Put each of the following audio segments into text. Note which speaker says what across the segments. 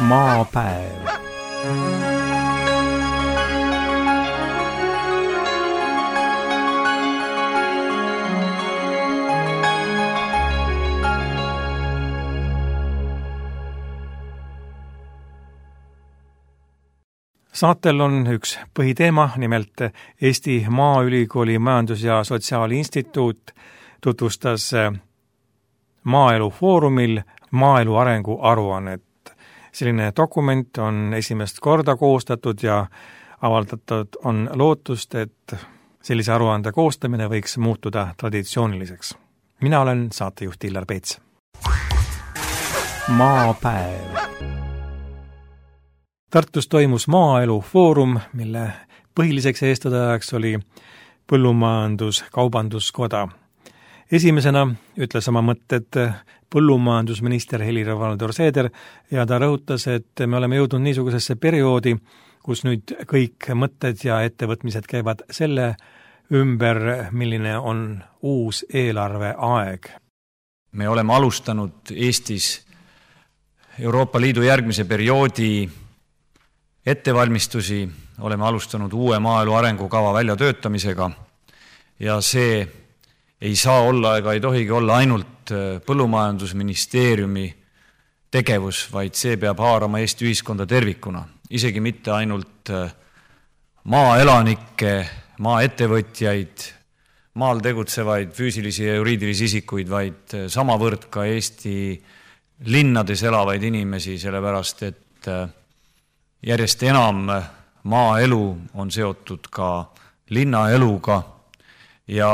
Speaker 1: Maapäev. Saatel on üks põhiteema, nimelt Eesti Maaülikooli Majandus- ja Sotsiaalinstituut tutvustas Maaelu Foorumil maaelu arengu aruannet. Selline dokument on esimest korda koostatud ja avaldatud on lootust, et sellise aruande koostamine võiks muutuda traditsiooniliseks. Mina olen saatejuht Illar Peets. Maapäev. Tartus toimus Maaelu Foorum, mille põhiliseks eestvedajaks oli Põllumajandus-Kaubanduskoda. Esimesena ütles oma mõtted põllumajandusminister Helir-Valdor Seeder ja ta rõhutas, et me oleme jõudnud niisugusesse perioodi, kus nüüd kõik mõtted ja ettevõtmised käivad selle ümber, milline on uus eelarveaeg.
Speaker 2: Me oleme alustanud Eestis Euroopa Liidu järgmise perioodi ettevalmistusi, oleme alustanud uue maaelu arengukava väljatöötamisega ja see ei saa olla ega ei tohigi olla ainult Põllumajandusministeeriumi tegevus, vaid see peab haarama Eesti ühiskonda tervikuna. Isegi mitte ainult maaelanikke, maaettevõtjaid, maal tegutsevaid füüsilisi ja juriidilisi isikuid, vaid samavõrd ka Eesti linnades elavaid inimesi, sellepärast et järjest enam maaelu on seotud ka linnaeluga ja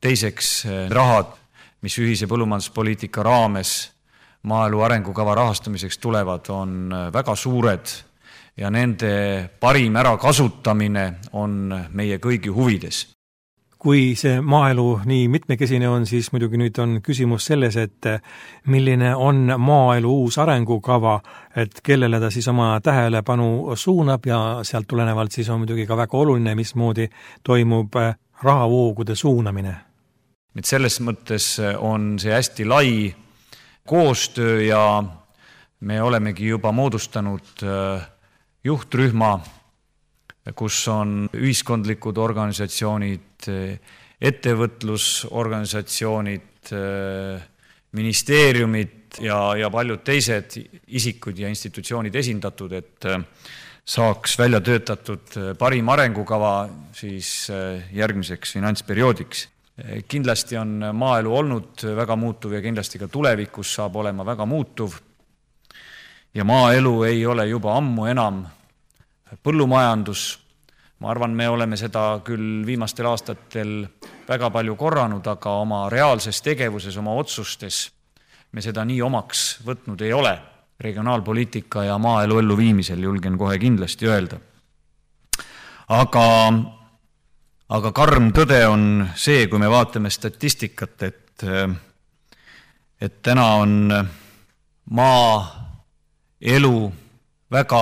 Speaker 2: teiseks rahad, mis ühise põllumajanduspoliitika raames maaelu arengukava rahastamiseks tulevad, on väga suured ja nende parim ärakasutamine on meie kõigi huvides.
Speaker 1: Kui see maaelu nii mitmekesine on, siis muidugi nüüd on küsimus selles, et milline on maaelu uus arengukava, et kellele ta siis oma tähelepanu suunab ja sealt tulenevalt siis on muidugi ka väga oluline, mismoodi toimub rahavoogude suunamine.
Speaker 2: Et selles mõttes on see hästi lai koostöö ja me olemegi juba moodustanud juhtrühma, kus on ühiskondlikud organisatsioonid, ettevõtlusorganisatsioonid, ministeeriumid ja paljud teised isikud ja institutsioonid esindatud, et saaks välja töötatud parim arengukava siis järgmiseks finantsperioodiks. Kindlasti on maaelu olnud väga muutuv ja kindlasti ka tulevikus saab olema väga muutuv. Ja maaelu ei ole juba ammu enam põllumajandus. Ma arvan, me oleme seda küll viimastel aastatel väga palju korranud, aga oma reaalses tegevuses, oma otsustes me seda nii omaks võtnud ei ole. Regionaalpoliitika ja maaelu elluviimisel julgen kohe kindlasti öelda. Aga karm tõde on see, kui me vaatame statistikat, et täna on maaelu väga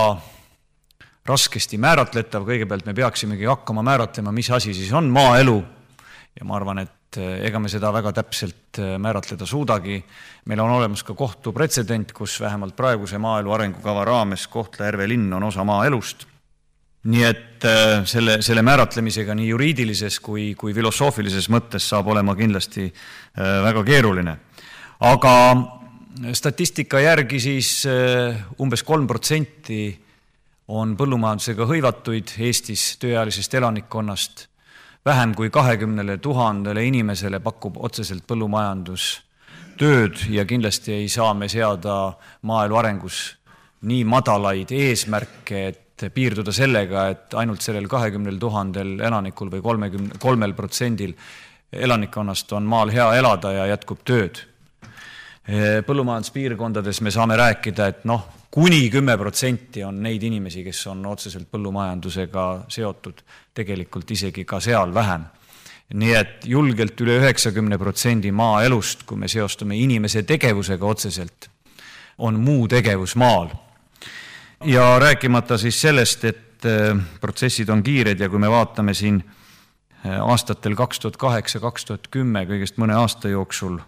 Speaker 2: raskesti määratletav. Kõigepealt me peaksimegi hakkama määratlema, mis asi siis on maaelu. Ja ma arvan, et ega me seda väga täpselt määratleda suudagi. Meil on olemas ka kohtupretsedent, kus vähemalt praeguse maaelu arengukava raames Kohtla-Järve linn on osa maaelust. Nii et selle määratlemisega nii juriidilises kui filosoofilises mõttes saab olema kindlasti väga keeruline. Aga statistika järgi siis umbes 3% on põllumajandusega hõivatuid Eestis tööealisest elanikkonnast. Vähem kui 20 000 inimesele pakub otseselt põllumajandus tööd ja kindlasti ei saa me seada maaelu arengus nii madalaid eesmärke, et piirduda sellega, et ainult sellel 20 000 elanikul või 3% elanikkonnast on maal hea elada ja jätkub tööd. Põllumajanduspiirkondades me saame rääkida, et kuni 10% on neid inimesi, kes on otseselt põllumajandusega seotud, tegelikult isegi ka seal vähem. Nii et julgelt üle 90% maaelust, kui me seostame inimese tegevusega otseselt, on muu tegevus maal. Ja rääkimata siis sellest, et protsessid on kiired ja kui me vaatame siin aastatel 2008-2010 kõigest mõne aasta jooksul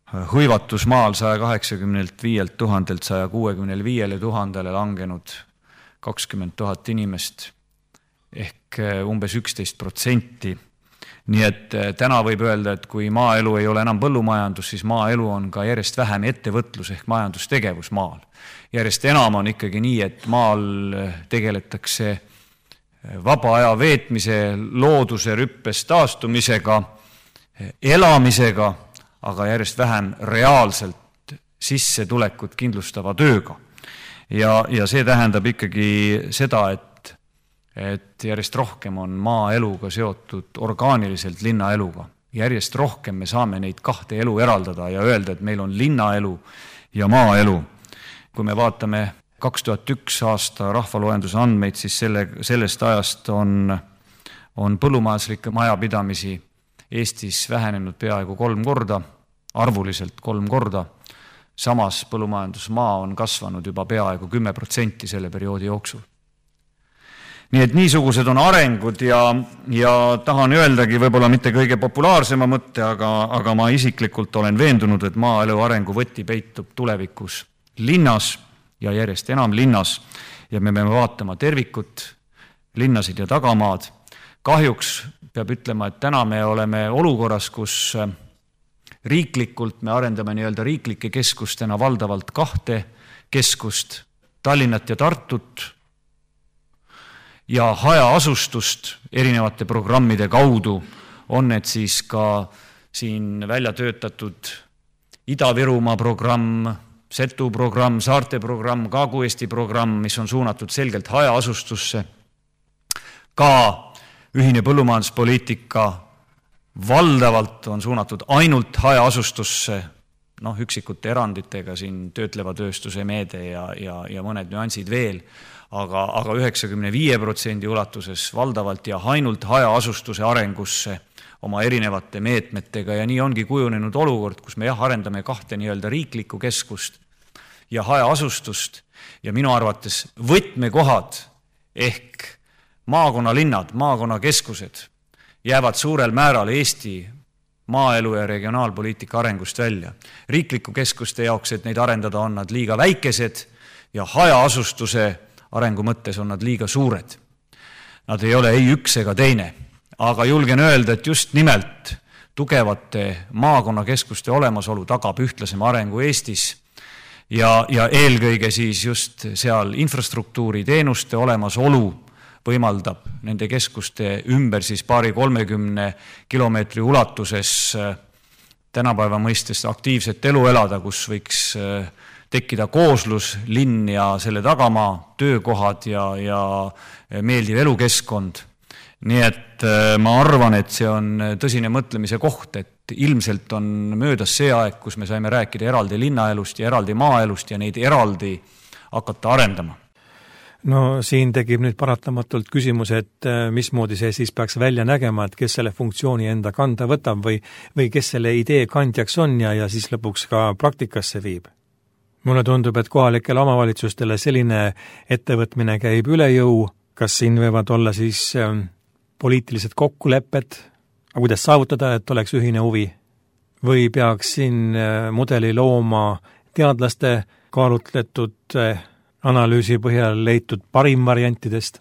Speaker 2: hõivatus maal 185 000-lt 165 000-le langenud 20 000 inimest ehk umbes 11%. Nii et täna võib öelda, et kui maaelu ei ole enam põllumajandus, siis maaelu on ka järjest vähem ettevõtlus ehk majandustegevus maal. Järjest enam on ikkagi nii, et maal tegeletakse vaba aja veetmise, looduse rüppes taastumisega, elamisega, aga järjest vähem reaalselt sissetulekut kindlustava tööga. Ja see tähendab ikkagi seda, et järjest rohkem on maaeluga seotud orgaaniliselt linnaeluga. Järjest rohkem me saame neid kahte elu eraldada ja öelda, et meil on linnaelu ja maaelu. Kui me vaatame 2001 aasta rahvaloenduse andmeid, siis sellest ajast on põllumajanduslikke majapidamisi Eestis vähenenud peaaegu 3 korda, arvuliselt 3 korda. Samas põllumajandusmaa on kasvanud juba peaaegu 10% selle perioodi jooksul. Nii et niisugused on arengud ja tahan öeldagi võib-olla mitte kõige populaarsema mõtte, aga ma isiklikult olen veendunud, et maaelu arengu võti peitub tulevikus linnas ja järjest enam linnas ja me peame vaatama tervikut, linnasid ja tagamaad. Kahjuks peab ütlema, et täna me oleme olukorras, kus riiklikult me arendame nii-öelda riiklike keskustena valdavalt 2 keskust, Tallinnat ja Tartut, ja hajaasustust erinevate programmide kaudu on need siis ka siin välja töötatud Ida-Virumaa programm, Setu programm, Saarte programm, Kagu-Eesti programm, mis on suunatud selgelt hajaasustusse. Ka ühine põllumajanduspoliitika valdavalt on suunatud ainult hajaasustusse, üksikute eranditega siin töötleva tööstuse meede ja mõned nüansid veel, aga 95% ulatuses valdavalt ja ainult hajaasustuse arengusse oma erinevate meetmetega ja nii ongi kujunenud olukord, kus me arendame 2 nii-öelda riiklikku keskust ja hajaasustust ja minu arvates võtmekohad ehk maakonnalinnad, maakonnakeskused jäävad suurel määral Eesti maaelu ja regionaalpoliitika arengust välja. Riikliku keskuste jaoks, et neid arendada, on nad liiga väikesed ja hajaasustuse arengu mõttes on nad liiga suured. Nad ei ole ei üks ega teine, aga julgen öelda, et just nimelt tugevate maakonnakeskuste olemasolu tagab ühtlasema arengu Eestis ja eelkõige siis just seal infrastruktuuri teenuste olemasolu võimaldab nende keskuste ümber siis 20-30 kilomeetri ulatuses tänapäeva mõistes aktiivset elu elada, kus võiks tekkida kooslus, linn ja selle tagamaa, töökohad ja meeldiv elukeskkond. Nii et ma arvan, et see on tõsine mõtlemise koht, et ilmselt on möödas see aeg, kus me saime rääkida eraldi linnaelust ja eraldi maaelust ja neid eraldi hakata arendama.
Speaker 1: No siin tekib nüüd paratamatult küsimus, et mismoodi see siis peaks välja nägema, et kes selle funktsiooni enda kanda võtab või kes selle idee kandjaks on ja siis lõpuks ka praktikasse viib. Mulle tundub, et kohalikele omavalitsustele selline ettevõtmine käib üle jõu, kas siin võivad olla siis poliitilised kokkulepped, aga kuidas saavutada, et oleks ühine huvi, või peaks siin mudeli looma teadlaste kaalutletud analüüsi põhjal leitud parim variantidest?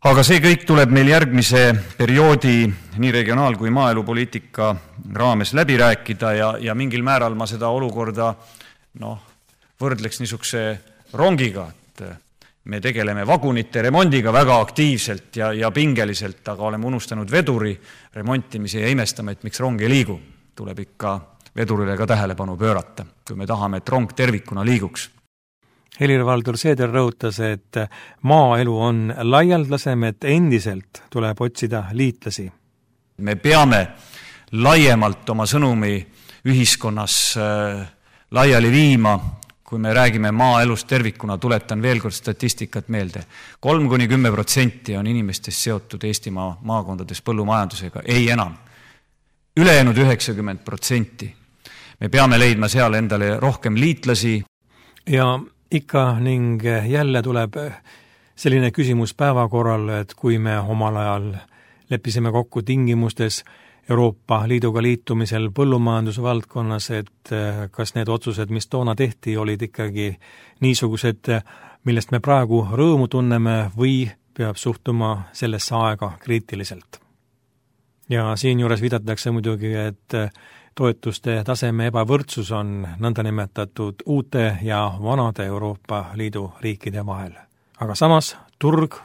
Speaker 2: Aga see kõik tuleb meil järgmise perioodi nii regionaal- kui maaelupoliitika raames läbi rääkida ja mingil määral ma seda olukorda võrdleks niisuguse rongiga, et me tegeleme vagunite remondiga väga aktiivselt ja pingeliselt, aga oleme unustanud veduri remontimise ja imestame, et miks rong ei liigu. Tuleb ikka vedurile ka tähelepanu pöörata, kui me tahame, et rong tervikuna liiguks.
Speaker 1: Helir-Valdur Seeder rõhutas, et maaelu on laialdasem, et endiselt tuleb otsida liitlasi.
Speaker 2: Me peame laiemalt oma sõnumi ühiskonnas laiali viima, kui me räägime maaelust tervikuna, tuletan veel kord statistikat meelde. 3-10% on inimestest seotud Eestimaa maakondades põllumajandusega, ei enam. Ülejäänud 90%. Me peame leidma seal endale rohkem liitlasi.
Speaker 1: Ja ikka ning jälle tuleb selline küsimus päevakorral, et kui me omal ajal leppisime kokku tingimustes, Euroopa Liiduga liitumisel põllumajandusvaldkonnas, et kas need otsused, mis toona tehti, olid ikkagi niisugused, millest me praegu rõõmu tunneme või peab suhtuma sellesse aega kriitiliselt. Ja siinjuures viidatakse muidugi, et toetuste taseme ebavõrdsus on nõndanimetatud uute ja vanade Euroopa Liidu riikide vahel. Aga samas turg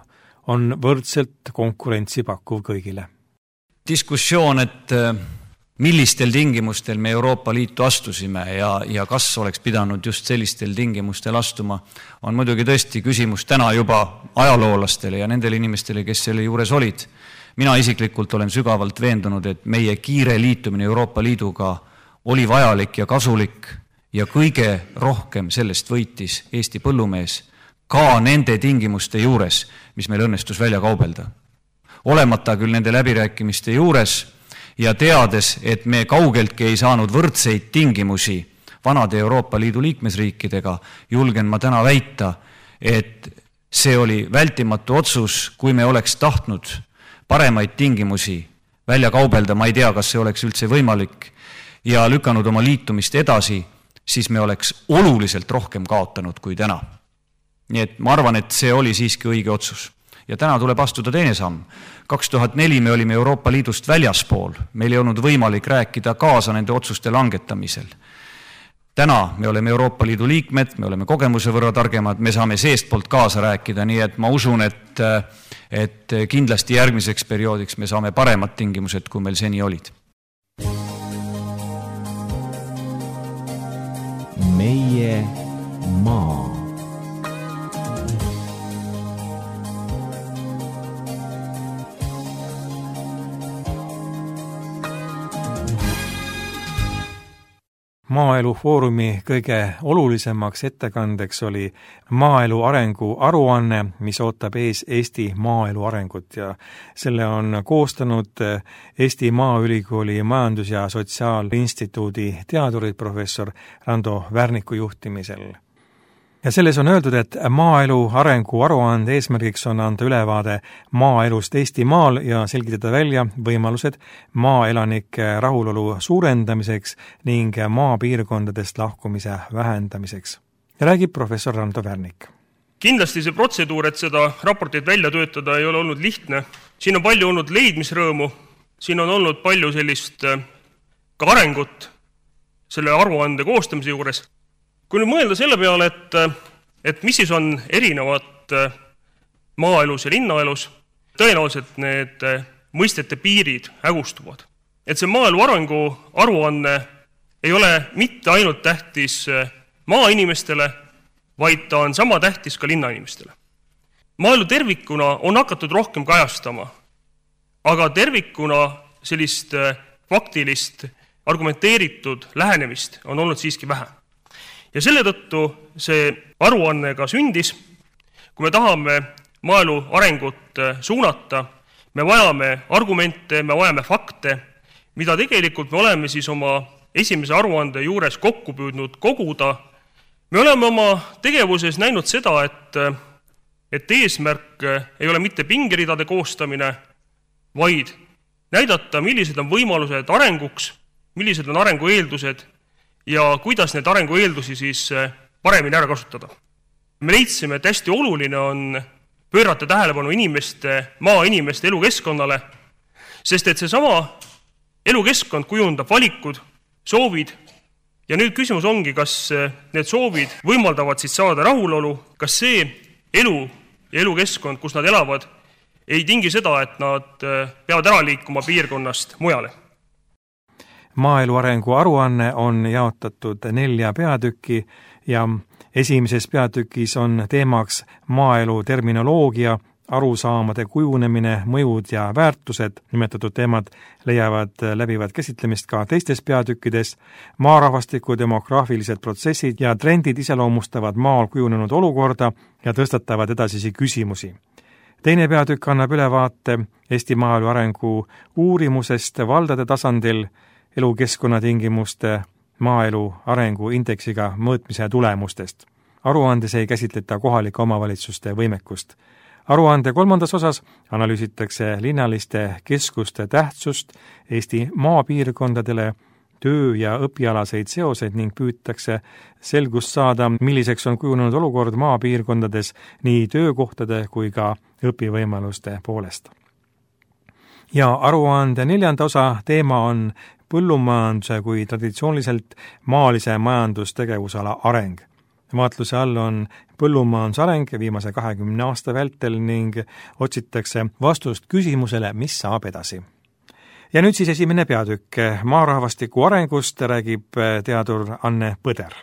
Speaker 1: on võrdselt konkurentsi pakkuv kõigile.
Speaker 2: Diskussioon, et millistel tingimustel me Euroopa Liitu astusime ja kas oleks pidanud just sellistel tingimustel astuma, on muidugi tõesti küsimus täna juba ajaloolastele ja nendele inimestele, kes selle juures olid. Mina isiklikult olen sügavalt veendunud, et meie kiire liitumine Euroopa Liiduga oli vajalik ja kasulik ja kõige rohkem sellest võitis Eesti põllumees ka nende tingimuste juures, mis meil õnnestus välja kaubelda. Olemata küll nende läbirääkimiste juures ja teades, et me kaugeltki ei saanud võrdseid tingimusi vanade Euroopa Liidu liikmesriikidega, julgen ma täna väita, et see oli vältimatu otsus, kui me oleks tahtnud paremaid tingimusi välja kaubelda, ma ei tea, kas see oleks üldse võimalik, ja lükanud oma liitumist edasi, siis me oleks oluliselt rohkem kaotanud kui täna. Nii et ma arvan, et see oli siiski õige otsus. Ja täna tuleb astuda teine samm. 2004 me olime Euroopa Liidust väljaspool. Meil ei olnud võimalik rääkida kaasa nende otsuste langetamisel. Täna me oleme Euroopa Liidu liikmed, me oleme kogemuse võrra targemad, me saame seestpoolt kaasa rääkida, nii et ma usun, et kindlasti järgmiseks perioodiks me saame paremad tingimused, kui meil seni olid.
Speaker 3: Meie maa.
Speaker 1: Maaelu Foorumi kõige olulisemaks ettekandeks oli maaelu arengu aruanne, mis ootab ees Eesti maaelu arengut ja selle on koostanud Eesti Maaülikooli Majandus- ja Sotsiaalinstituudi teadurid professor Rando Värniku juhtimisel. Ja selles on öeldud, et maaelu arengu aruande eesmärgiks on anda ülevaade maaelust Eestimaal ja selgitada välja võimalused maaelanike rahulolu suurendamiseks ning maapiirkondadest lahkumise vähendamiseks. Ja räägib professor Rando Värnik.
Speaker 4: Kindlasti see protseduur, et seda raportit välja töötada, ei ole olnud lihtne. Siin on palju olnud leidmisrõõmu, siin on olnud palju sellist ka arengut selle aruande koostamise juures. Kui nüüd mõelda selle peale, et mis siis on erinevad maaelus ja linnaelus, tõenäoliselt need mõistete piirid hägustuvad. Et see maaelu arengu aruanne ei ole mitte ainult tähtis maainimestele, vaid ta on sama tähtis ka linnainimestele. Maaelu tervikuna on hakatud rohkem kajastama, aga tervikuna sellist faktilist, argumenteeritud lähenemist on olnud siiski vähe. Ja selle tõttu see aruanne ka sündis. Kui me tahame maaelu arengut suunata, me vajame argumente, me vajame fakte, mida tegelikult me oleme siis oma esimese aruande juures kokku püüdnud koguda. Me oleme oma tegevuses näinud seda, et eesmärk ei ole mitte pingeridade koostamine, vaid näidata, millised on võimalused arenguks, millised on arengu eeldused ja kuidas need arengu eeldusi siis paremini ära kasutada. Me leidsime, et hästi oluline on pöörata tähelepanu maainimeste elukeskkonnale, sest et seesama elukeskkond kujundab valikud, soovid ja nüüd küsimus ongi, kas need soovid võimaldavad siis saada rahulolu, kas see elu ja elukeskkond, kus nad elavad, ei tingi seda, et nad peavad ära liikuma piirkonnast mujale.
Speaker 1: Maaelu arengu aruanne on jaotatud 4 peatükki ja esimeses peatükis on teemaks maaelu terminoloogia, arusaamade kujunemine, mõjud ja väärtused. Nimetatud teemad leiavad läbivad käsitlemist ka teistes peatükkides. Maarahvastiku demograafilised protsessid ja trendid iseloomustavad maal kujunenud olukorda ja tõstatavad edasisi küsimusi. Teine peatükk annab ülevaate Eesti maaelu arengu uurimusest valdade tasandil, elukeskkonnatingimuste maaelu arengu indeksiga mõõtmise tulemustest. Aruandes ei käsitleta kohalike omavalitsuste võimekust Aruande 3. osas analüüsitakse linnaliste keskuste tähtsust Eesti maapiirkondadele, töö- ja õpialaseid seoseid ning püütakse selgust saada, milliseks on kujunenud olukord maapiirkondades nii töökohtade kui ka õpivõimaluste poolest. Ja aruande 4. osa teema on põllumajanduse kui traditsiooniliselt maalise majandustegevusala areng. Vaatluse all on põllumajanduse areng viimase 20 aasta vältel ning otsitakse vastust küsimusele, mis saab edasi. Ja nüüd siis esimene peatükk. Maarahvastiku arengust räägib teadur Anne Põder.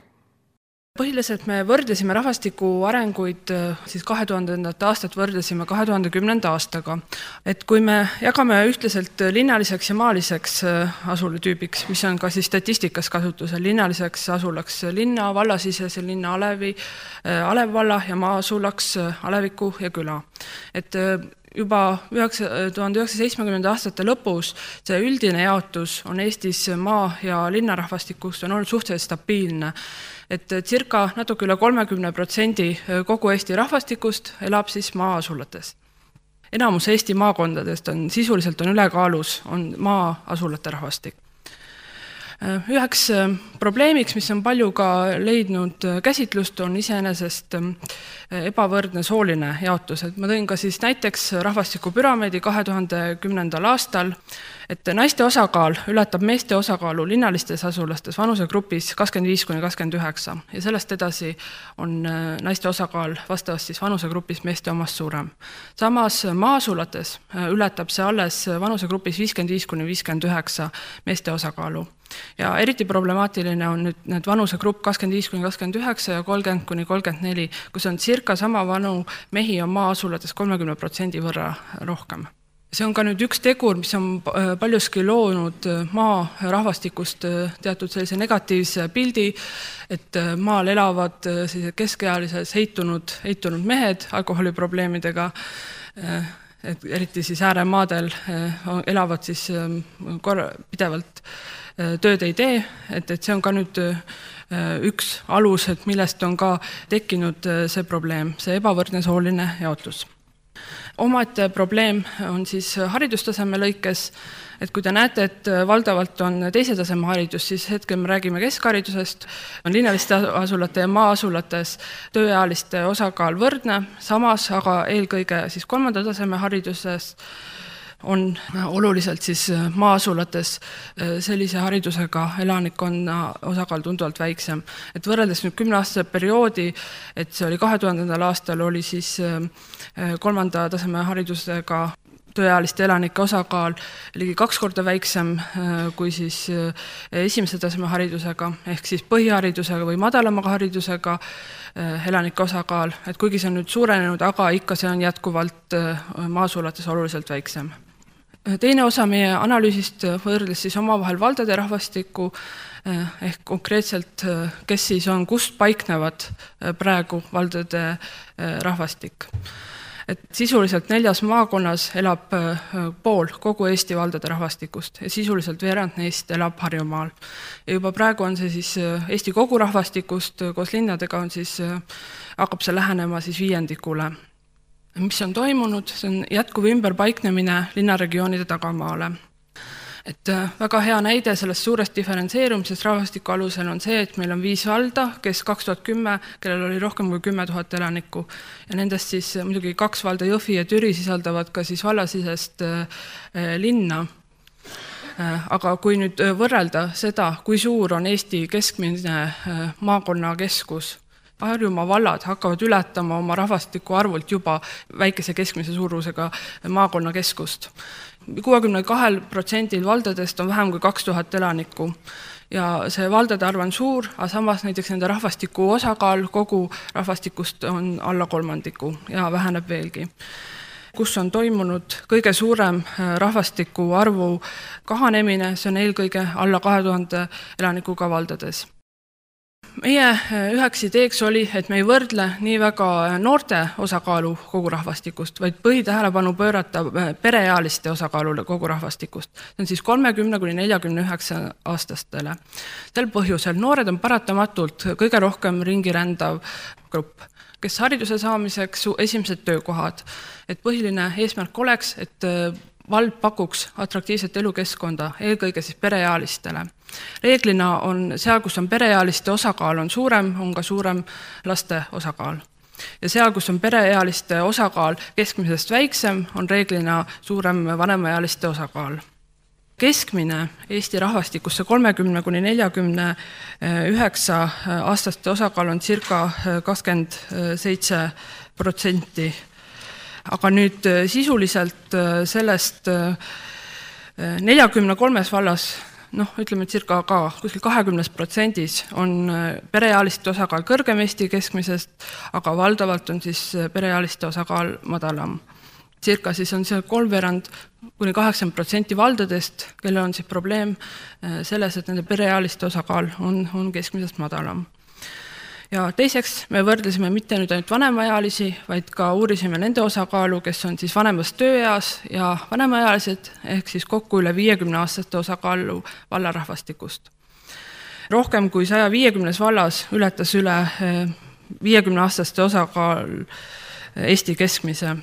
Speaker 5: Põhiliselt me võrdlesime rahvastiku arenguid, siis 2000. aastat võrdlesime 2010. aastaga. Et kui me jagame ühtlaselt linnaliseks ja maaliseks asulatüübiks, mis on ka siis statistikas kasutusel, linnaliseks asulaks linna, vallasisese linna Alevi, Alevvalla ja maasulaks Aleviku ja küla. Et juba 1970. aastate lõpus see üldine jaotus on Eestis maa- ja linnarahvastikust on olnud suhteliselt stabiilne. Et circa natuke üle 30% kogu Eesti rahvastikust elab siis maa-asulates. Enamus Eesti maakondadest on sisuliselt ülekaalus, on maa-asulate rahvastik. Üheks probleemiks, mis on palju ka leidnud käsitlust, on iseenesest ebavõrdne sooline jaotus. Et ma tõin ka siis näiteks rahvastikupüramiidi 2010. aastal, et naiste osakaal ületab meeste osakaalu linnalistes asulastes vanusegrupis 25–29 ja sellest edasi on naiste osakaal vastavast siis vanusegrupis meeste omast suurem. Samas maasulates ületab see alles vanusegrupis 55–59 meeste osakaalu. Ja eriti problemaatiline on nüüd need vanusegrupp 25–29 ja 30–34, kus on circa sama vanu mehi on maa-asulates 30% võrra rohkem. See on ka nüüd üks tegur, mis on paljuski loonud maa rahvastikust teatud sellise negatiivse pildi, et maal elavad keskealises heitunud mehed alkoholiprobleemidega, et eriti siis ääremaadel elavad siis pidevalt tööd ei tee, et see on ka nüüd üks alus, et millest on ka tekkinud see probleem, see ebavõrdne sooline jaotus. Omaette probleem on siis haridustaseme lõikes, et kui te näete, et valdavalt on teise taseme haridus, siis hetkel me räägime keskharidusest, on linnaliste asulate ja maa-asulates tööealiste osakaal võrdne, samas aga eelkõige siis 3. taseme hariduses on oluliselt siis maa-asulates sellise haridusega elanikkonna osakaal tunduvalt väiksem. Et võrreldes nüüd 10-aastase perioodi, et see oli 2000. aastal, oli siis 3. taseme haridusega tööealiste elanike osakaal ligi 2 korda väiksem kui siis esimese taseme haridusega, ehk siis põhiharidusega või madalamaga haridusega elanike osakaal, et kuigi see on nüüd suurenenud, aga ikka see on jätkuvalt maa-asulates oluliselt väiksem. Teine osa meie analüüsist võrdles siis omavahel valdade rahvastikku, ehk konkreetselt, kes siis on, kust paiknevad praegu valdade rahvastik. Et sisuliselt 4 maakonnas elab pool kogu Eesti valdade rahvastikust ja sisuliselt veerand neist elab Harjumaal. Ja juba praegu on see siis Eesti kogu rahvastikust koos linnadega on siis, hakkab see lähenema siis 5%. Mis on toimunud, see on jätkuv ümberpaiknemine linnaregioonide tagamaale. Et väga hea näide sellest suurest diferentseerumisest rahvastiku alusel on see, et meil on 5 valda, kes 2010, kellel oli rohkem kui 10 000 elanikku. Ja nendest siis muidugi 2 valda Jõhvi ja Türi sisaldavad ka siis vallasisest linna. Aga kui nüüd võrrelda seda, kui suur on Eesti keskmine maakonna keskus, Harjumaa vallad hakkavad ületama oma rahvastiku arvult juba väikese keskmise suurusega maakonna keskust. 62% valdadest on vähem kui 2000 elanikku ja see valdade arv on suur, aga samas näiteks nende rahvastiku osakaal kogu rahvastikust on alla 3% ja väheneb veelgi. Kus on toimunud kõige suurem rahvastiku arvu kahanemine, see on eelkõige alla 2000 elanikuga valdades. Meie üheks ideeks oli, et me ei võrdle nii väga noorte osakaalu kogu rahvastikust, vaid põhitähelepanu pöörata pereealiste osakaalule kogu rahvastikust. See on siis 30–49 aastastele. Sel põhjusel noored on paratamatult kõige rohkem ringi rändav grupp. kes hariduse saamiseks esimesed töökohad. Et põhiline eesmärk oleks, et vald pakuks atraktiivset elukeskkonda, eelkõige siis pereealistele. Reeglina on seal, kus on pereealiste osakaal on suurem, on ka suurem laste osakaal. Ja seal, kus on pereealiste osakaal keskmisest väiksem, on reeglina suurem vanemaealiste osakaal. Keskmine Eesti rahvastikusse 30–49 aastaste osakaal on circa 27%. Aga nüüd sisuliselt sellest 43 vallas, ütleme circa ka kuskil 20% on pereealiste osakaal kõrgem Eesti keskmisest, aga valdavalt on siis pereealiste osakaal madalam. Circa siis on see 3–8% valdadest, kellel on siis probleem selles, et nende pereealiste osakaal on keskmisest madalam. Ja teiseks me võrdlesime mitte nüüd ainult vanemaealisi, vaid ka uurisime nende osakaalu, kes on siis vanemas tööeas ja vanemaealised, ehk siis kokku üle 50-aastaste osakaalu vallarahvastikust. Rohkem kui 150 vallas ületas üle 50-aastaste osakaal Eesti keskmise.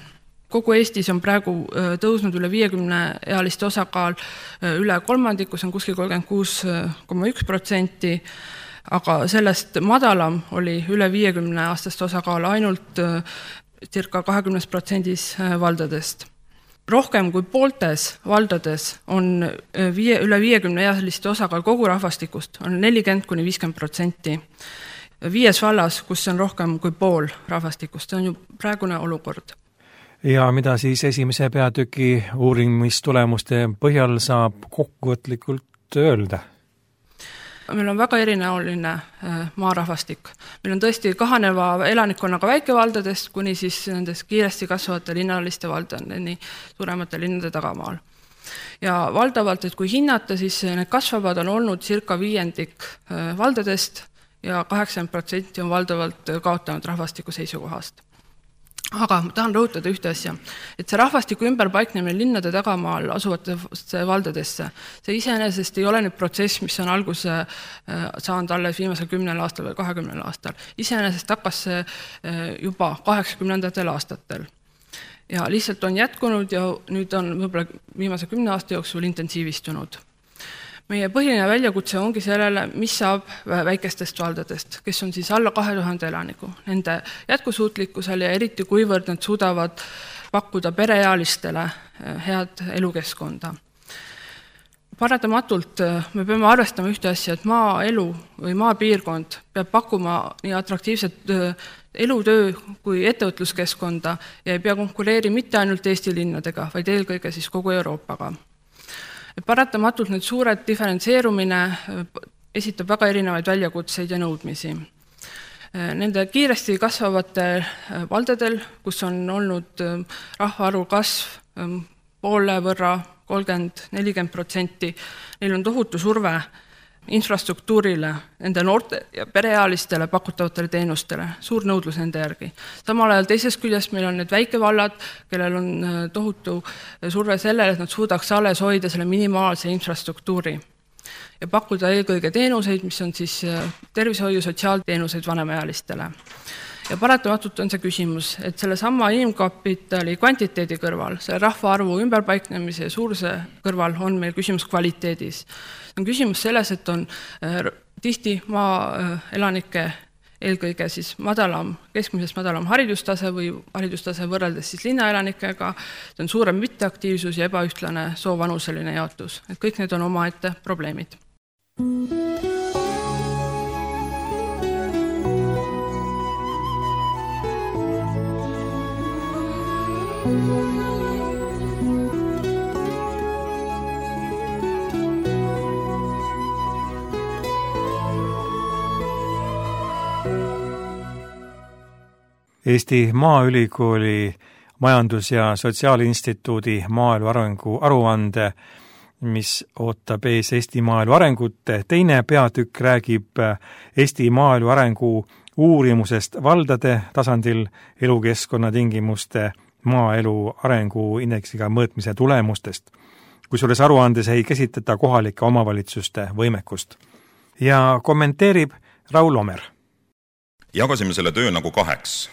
Speaker 5: Kogu Eestis on praegu tõusnud üle 50-ealiste osakaal üle kolmandiku, see on kuskil 36,1%, aga sellest madalam oli üle 50-aastast osakaal ainult circa 20% valdadest. Rohkem kui pooltes valdades on üle 50-ealiste osakaal kogu rahvastikust, on 40–50%. 5 vallas, kus on rohkem kui pool rahvastikust, see on ju praegune olukord.
Speaker 1: Ja mida siis esimese peatüki uurimistulemuste põhjal saab kokkuvõtlikult öelda?
Speaker 5: Meil on väga erinäoline maarahvastik. Meil on tõesti kahaneva elanikkonnaga väikevaldadest kuni siis nendest kiiresti kasvavate linnaliste valdadeni suuremate linnade tagamaal. Ja valdavalt, et kui hinnata, siis need kasvavad on olnud circa 5% valdadest ja 80% on valdavalt kaotanud rahvastiku seisukohast. Aga ma tahan rõhutada ühte asja, et see rahvastiku ümberpaiknemine linnade tagamaal asuvatesse valdadesse, see iseenesest ei ole nüüd protsess, mis on alguse saanud alles viimasel 10 aastal või 20 aastal. Iseenesest hakkas see juba 80. aastatel. Ja lihtsalt on jätkunud ja nüüd on võib-olla viimase 10 aasta jooksul intensiivistunud. Meie põhiline väljakutse ongi sellele, mis saab väikestest valdadest, kes on siis alla 2000 elaniku. Nende jätkusuutlikkusel ja eriti kuivõrd nad suudavad pakkuda pereealistele head elukeskkonda. Paratamatult me peame arvestama ühte asja, et maaelu või maapiirkond peab pakkuma nii atraktiivset elutöö kui ettevõtluskeskkonda ja ei pea konkureeri mitte ainult Eesti linnadega, vaid eelkõige siis kogu Euroopaga. Paratamatult need suured diferentseerumine esitab väga erinevaid väljakutseid ja nõudmisi. Nende kiiresti kasvavate valdadel, kus on olnud rahvaarvu kasv poole võrra 30–40%, neil on tohutu surve infrastruktuurile, nende noorte ja pereealistele pakutavatele teenustele, suur nõudlus nende järgi. Samal ajal teisest küljest meil on need väikevallad, kellel on tohutu surve sellele, et nad suudaks alles hoida selle minimaalse infrastruktuuri ja pakkuda eelkõige teenuseid, mis on siis tervishoiu sotsiaalteenuseid vanemaealistele. Ja paratamatult on see küsimus, et selle sama inimkapitali kvantiteedi kõrval, selle rahvaarvu ümberpaiknemise ja suuruse kõrval on meil küsimus kvaliteedis. On küsimus selles, et on tihti maaelanike eelkõige siis keskmisest madalam haridustase või haridustase võrreldes siis linnaelanikega, see on suurem mitteaktiivsus ja ebaühtlane soovanuseline jaotus. Et kõik need on omaette probleemid.
Speaker 1: Eesti Maaülikooli Majandus- ja Sotsiaalinstituudi maaelu arengu aruande, mis ootab ees Eesti maaelu arengut. Teine peatükk räägib Eesti maaelu arengu uurimusest valdade tasandil elukeskkonna tingimuste maaelu arengu indeksiga mõõtmise tulemustest, kusjuures aruandes ei käsitleta kohalike omavalitsuste võimekust. Ja kommenteerib Raul Omer.
Speaker 6: Jagasime selle töö nagu 2.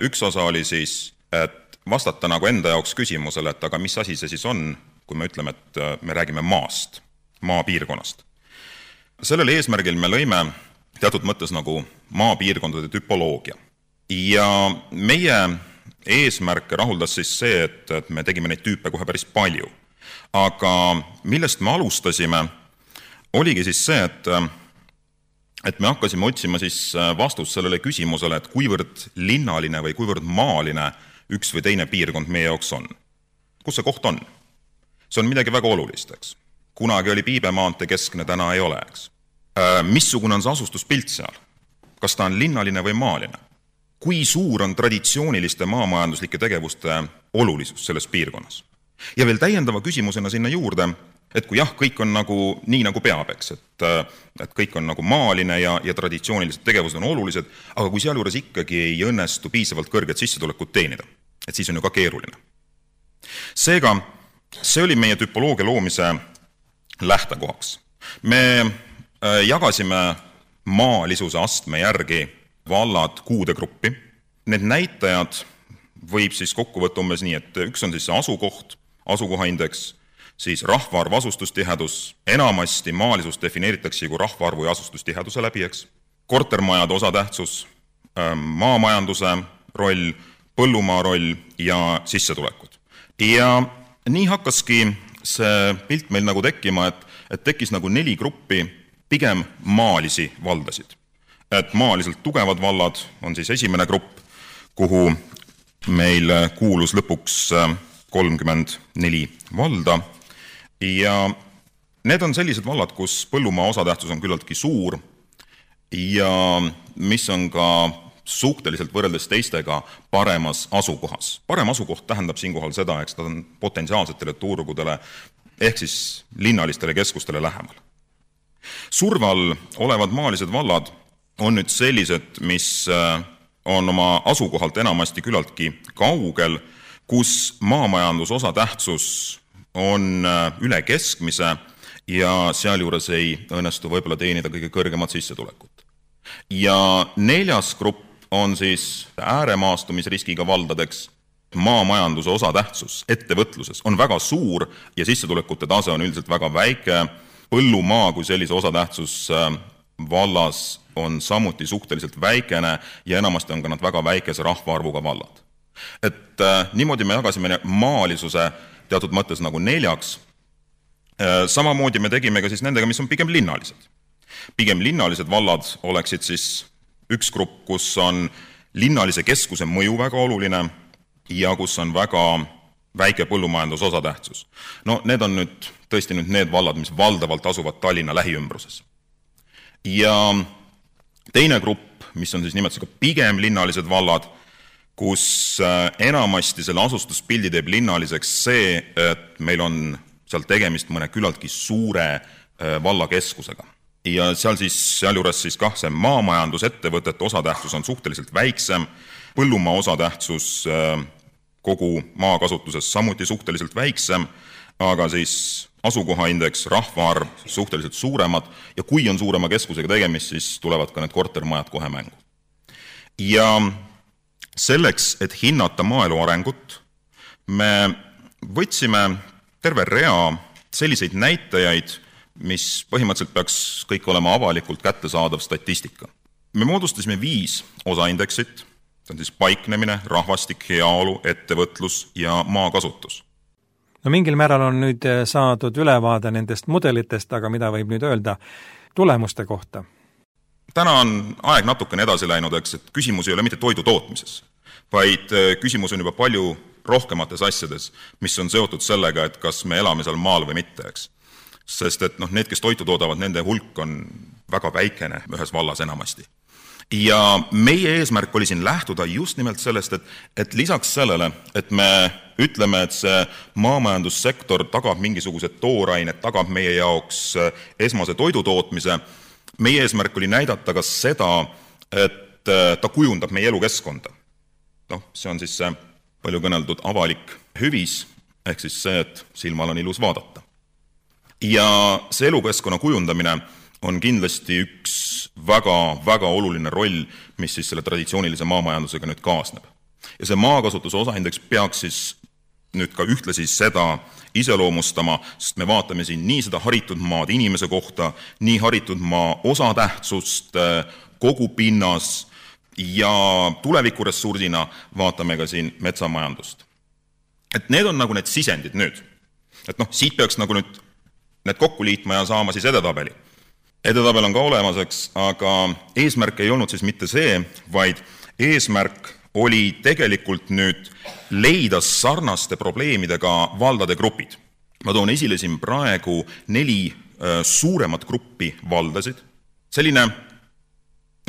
Speaker 6: Üks osa oli siis, et vastata nagu enda jaoks küsimusele, et aga mis asi see siis on, kui me ütleme, et me räägime maast, maapiirkonnast. Sellel eesmärgil me lõime teatud mõttes nagu maapiirkondade tüpoloogia. Ja meie eesmärke rahuldas siis see, et me tegime neid tüüpe kohe päris palju. Aga millest me alustasime, oligi siis see, et me hakkasime otsima siis vastust sellele küsimusele, et kuivõrd linnaline või kuivõrd maaline üks või teine piirkond meie jaoks on. Kus see koht on? See on midagi väga olulist, eks. Kunagi oli Piibemaante keskne, täna ei ole, eks. Missugune on see asustuspilt seal? Kas ta on linnaline või maaline? Kui suur on traditsiooniliste maamajanduslike tegevuste olulisus selles piirkonnas? Ja veel täiendava küsimusena sinna juurde, et kui jah, kõik on nagu nii nagu peab, eks, et kõik on nagu maaline ja traditsioonilised tegevused on olulised, aga kui sealjuures ikkagi ei õnnestu piisavalt kõrget sissetulekut teenida, et siis on ju ka keeruline. Seega, see oli meie tüpoloogia loomise lähtekohaks. Me jagasime maalisuse astme järgi vallad kuude gruppi. Need näitajad võib siis kokku võtta umbes nii, et üks on siis see asukoht, asukohaindeks, siis rahvaarv, asustustihedus, enamasti maalisus defineeritakse kui rahvaarvu ja asustustiheduse läbi, eks. Kortermajade osatähtsus, maamajanduse roll, põllumaa roll ja sissetulekud. Ja nii hakkaski see pilt meil nagu tekkima, et tekkis nagu 4 gruppi pigem maalisi valdasid. Et maaliselt tugevad vallad on siis esimene grupp, kuhu meil kuulus lõpuks 34 valda. Ja need on sellised vallad, kus põllumaa osatähtsus on küllaltki suur ja mis on ka suhteliselt võrreldes teistega paremas asukohas. Parem asukoht tähendab siinkohal seda, eks ta on potentsiaalsetele turgudele ehk siis linnalistele keskustele lähemal. Surval olevad maalised vallad on nüüd sellised, mis on oma asukohalt enamasti küllaltki kaugel, kus maamajandus osatähtsus on üle keskmise ja sealjuures ei õnnestu võib-olla teenida kõige kõrgemat sissetulekut. Ja 4. grupp on siis ääremaastumisriskiga valdadeks. Maamajanduse osatähtsus ettevõtluses on väga suur ja sissetulekute tase on üldiselt väga väike. Põllumaa kui sellise osatähtsus vallas on samuti suhteliselt väikene ja enamasti on ka nad väga väikese rahvaarvuga vallad. Et niimoodi me jagasime maalisuse teatud mõttes nagu 4. Samamoodi me tegime ka siis nendega, mis on pigem linnalised. Pigem linnalised vallad oleksid siis üks grupp, kus on linnalise keskuse mõju väga oluline ja kus on väga väike põllumajandus osatähtsus. No need on nüüd tõesti need vallad, mis valdavalt asuvad Tallinna lähiümbruses. Ja teine grupp, mis on siis nimelt pigem linnalised vallad, kus enamasti selle asustuspildi teeb linnaliseks see, et meil on seal tegemist mõne küllaltki suure vallakeskusega. Ja sealjuures siis kah see maamajandusettevõtete osatähtsus on suhteliselt väiksem, põllumaa osatähtsus kogu maakasutuses samuti suhteliselt väiksem, aga siis asukohaindeks, rahvaarv suhteliselt suuremad ja kui on suurema keskusega tegemist, siis tulevad ka need kortermajad kohe mängu. Ja selleks, et hinnata maaelu arengut, me võtsime terve rea selliseid näitajaid, mis põhimõtteliselt peaks kõik olema avalikult kättesaadav statistika. Me moodustasime 5 osaindeksit, see on siis paiknemine, rahvastik, heaolu, ettevõtlus ja maakasutus.
Speaker 1: No mingil määral on nüüd saadud ülevaade nendest mudelitest, aga mida võib nüüd öelda tulemuste kohta?
Speaker 6: Täna on aeg natukene edasi läinud, eks, et küsimus ei ole mitte toidu tootmises, vaid küsimus on juba palju rohkemates asjades, mis on seotud sellega, et kas me elame seal maal või mitte, eks. Sest et need, kes toitu toodavad, nende hulk on väga väikene ühes vallas enamasti. Ja meie eesmärk oli siin lähtuda just nimelt sellest, et lisaks sellele, et me ütleme, et see maamajandussektor tagab mingisugused toorainet, tagab meie jaoks esmase toidu tootmise, meie eesmärk oli näidata ka seda, et ta kujundab meie elukeskkonda. See on siis see palju kõneldud avalik hüvis, ehk siis see, et silmal on ilus vaadata. Ja see elukeskkonna kujundamine on kindlasti üks väga oluline roll, mis siis selle traditsioonilise maamajandusega nüüd kaasneb. Ja see maakasutuse osaindeks peaks siis nüüd ka ühtlasi seda iseloomustama, sest me vaatame siin nii seda haritud maad inimese kohta, nii haritud maa osatähtsust kogu pinnas ja tulevikuressursina vaatame ka siin metsamajandust. Et need on nagu need sisendid nüüd. Et siit peaks nagu nüüd need kokku liitma ja saama siis edetabeli. Edetabel on ka olemaseks, aga eesmärk ei olnud siis mitte see, vaid eesmärk oli tegelikult nüüd leida sarnaste probleemidega valdade grupid. Ma toon esile siin praegu 4 suuremat gruppi valdasid. Selline,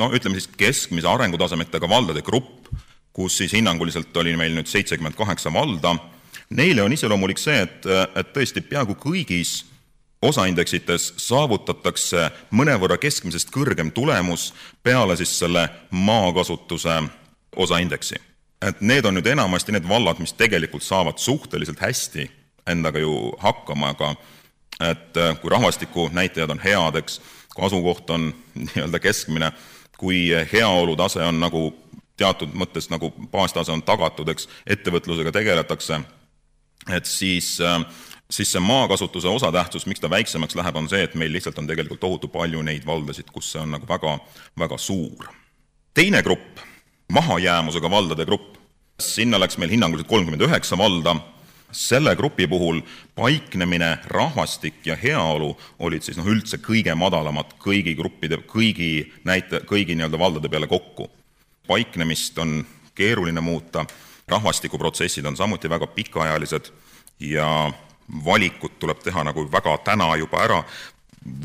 Speaker 6: ütleme siis keskmise arengutasemetega valdade grupp, kus siis hinnanguliselt oli meil nüüd 78 valda. Neile on iseloomulik see, et tõesti peaaegu kõigis osaindeksites saavutatakse mõnevõrra keskmisest kõrgem tulemus peale siis selle maakasutuse osaindeksi. Et need on nüüd enamasti need vallad, mis tegelikult saavad suhteliselt hästi endaga ju hakkama, aga et kui rahvastiku näitajad on head, eks, kui asukoht on nii-öelda keskmine, kui heaolu tase on nagu teatud mõttes nagu baastase on tagatud, eks, ettevõtlusega tegeletakse, et siis see maakasutuse osatähtsus, miks ta väiksemaks läheb, on see, et meil lihtsalt on tegelikult tohutu palju neid valdasid, kus see on nagu väga suur. Teine grupp, mahajäämusega valdade grupp, sinna läks meil hinnanguliselt 39 valda. Selle grupi puhul paiknemine, rahvastik ja heaolu olid siis üldse kõige madalamad kõigi gruppide, kõigi nii-öelda valdade peale kokku. Paiknemist on keeruline muuta, rahvastikuprotsessid on samuti väga pikaajalised ja valikut tuleb teha nagu väga täna juba ära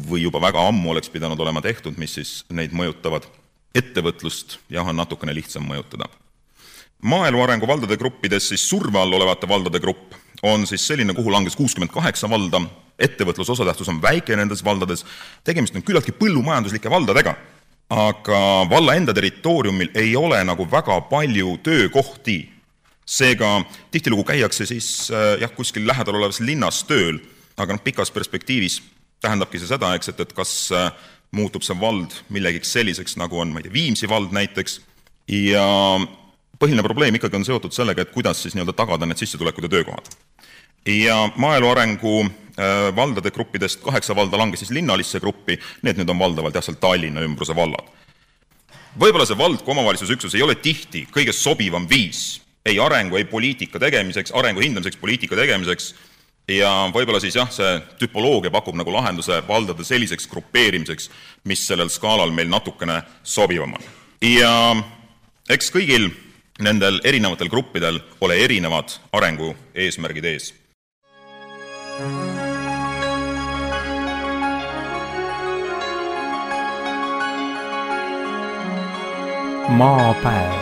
Speaker 6: või juba väga ammu oleks pidanud olema tehtud, mis siis neid mõjutavad. Ettevõtlust jah on natukene lihtsam mõjutada. Maaelu arengu valdade gruppides siis surve all olevate valdade grupp on siis selline, kuhu langes 68 valda. Ettevõtluse osatähtsus on väike nendes valdades. Tegemist on küllaltki põllumajanduslike valdadega, aga valla enda territooriumil ei ole nagu väga palju töökohti. Seega tihtilugu käiakse siis kuskil lähedal olevas linnas tööl, aga pikas perspektiivis tähendabki see seda, et kas muutub see vald millegiks selliseks, nagu on Viimsi vald näiteks. Ja põhiline probleem ikkagi on seotud sellega, et kuidas siis nii-öelda tagada need sissetulekud ja töökohad. Ja maaelu arengu valdade gruppidest 8 valda langes siis linnalisse gruppi, need nüüd on valdavalt seal Tallinna ümbruse vallad. Võib-olla see vald kui omavalitsusüksus ei ole tihti kõige sobivam viis ei arengu, ei poliitika tegemiseks, arengu hindamiseks, poliitika tegemiseks ja võib-olla siis see tüpoloogia pakub nagu lahenduse valdade selliseks grupeerimiseks, mis sellel skaalal meil natukene sobivam on. Ja eks kõigil nendel erinevatel gruppidel ole erinevad arengu eesmärgid ees.
Speaker 1: Maapäev.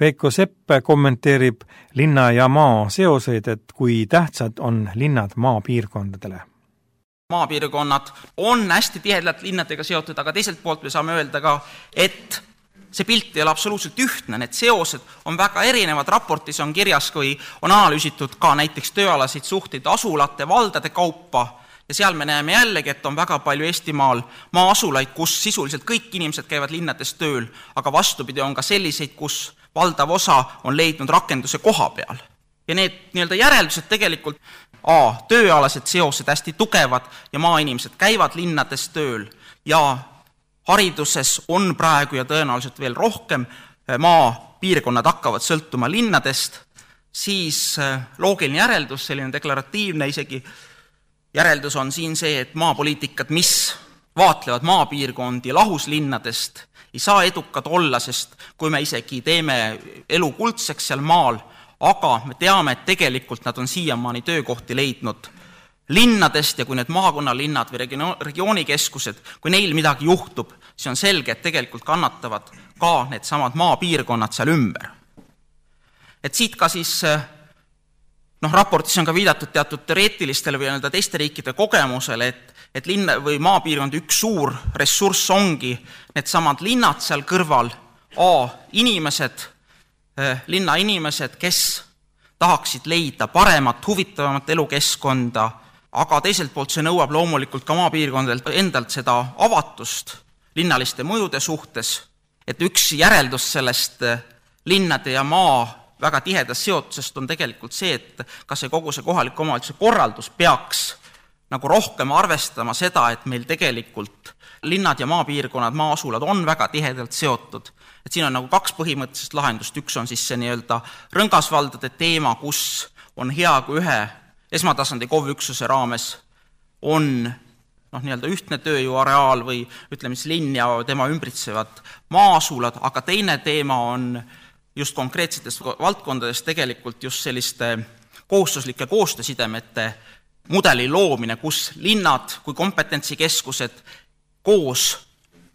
Speaker 1: Veiko Sepp kommenteerib linna ja maa seoseid, et kui tähtsad on linnad maapiirkondadele.
Speaker 7: Maapiirkonnad on hästi tihedalt linnadega seotud, aga teiselt poolt me saame öelda ka, et see pilt ei ole absoluutselt ühtne, need seosed on väga erinevad, raportis on kirjas, kui on analüüsitud ka näiteks tööalaseid suhteid asulate, valdade kaupa ja seal me näeme jällegi, et on väga palju Eestimaal maa-asulaid, kus sisuliselt kõik inimesed käivad linnades tööl, aga vastupidi on ka selliseid, kus valdav osa on leidnud rakenduse koha peal. Ja need nii-öelda järeldused tegelikult tööalased seosed hästi tugevad ja maainimesed käivad linnades tööl ja hariduses on praegu ja tõenäoliselt veel rohkem maapiirkonnad hakkavad sõltuma linnadest, siis loogiline järeldus, selline deklaratiivne isegi järeldus on siin see, et maapoliitikad, mis vaatlevad maapiirkondi lahus linnadest, ei saa edukad olla, sest kui me isegi teeme elu kuldseks seal maal, aga me teame, et tegelikult nad on siiamaani töökohti leidnud linnadest ja kui need maakonnalinnad või regioonikeskused, kui neil midagi juhtub, siis on selge, et tegelikult kannatavad ka need samad maapiirkonnad seal ümber. Et siit ka siis, raportis on ka viidatud teatud teoreetilistele või teiste riikide kogemusele, et linna või maapiirkond üks suur ressurss ongi need samad linnad seal kõrval, inimesed, linnainimesed, kes tahaksid leida paremat, huvitavamat elukeskkonda, aga teiselt poolt see nõuab loomulikult ka maapiirkondadelt endalt seda avatust linnaliste mõjude suhtes, et üks järeldus sellest linnade ja maa väga tihedast seotusest on tegelikult see, et kas see kogu see kohaliku omavalitsuse korraldus peaks nagu rohkem arvestama seda, et meil tegelikult linnad ja maapiirkonnad, maasulad on väga tihedalt seotud. Et siin on nagu kaks põhimõttelist lahendust. Üks on siis see nii-öelda rõngasvaldade teema, kus on hea, kui ühe esmatasandi KOV-üksuse raames on nii-öelda ühtne tööjõuareaal või ütleme siis linn ja tema ümbritsevad maasulad, aga teine teema on just konkreetsetes valdkondades tegelikult just selliste kohustuslike koostöösidemete mudeli loomine, kus linnad kui kompetentsikeskused koos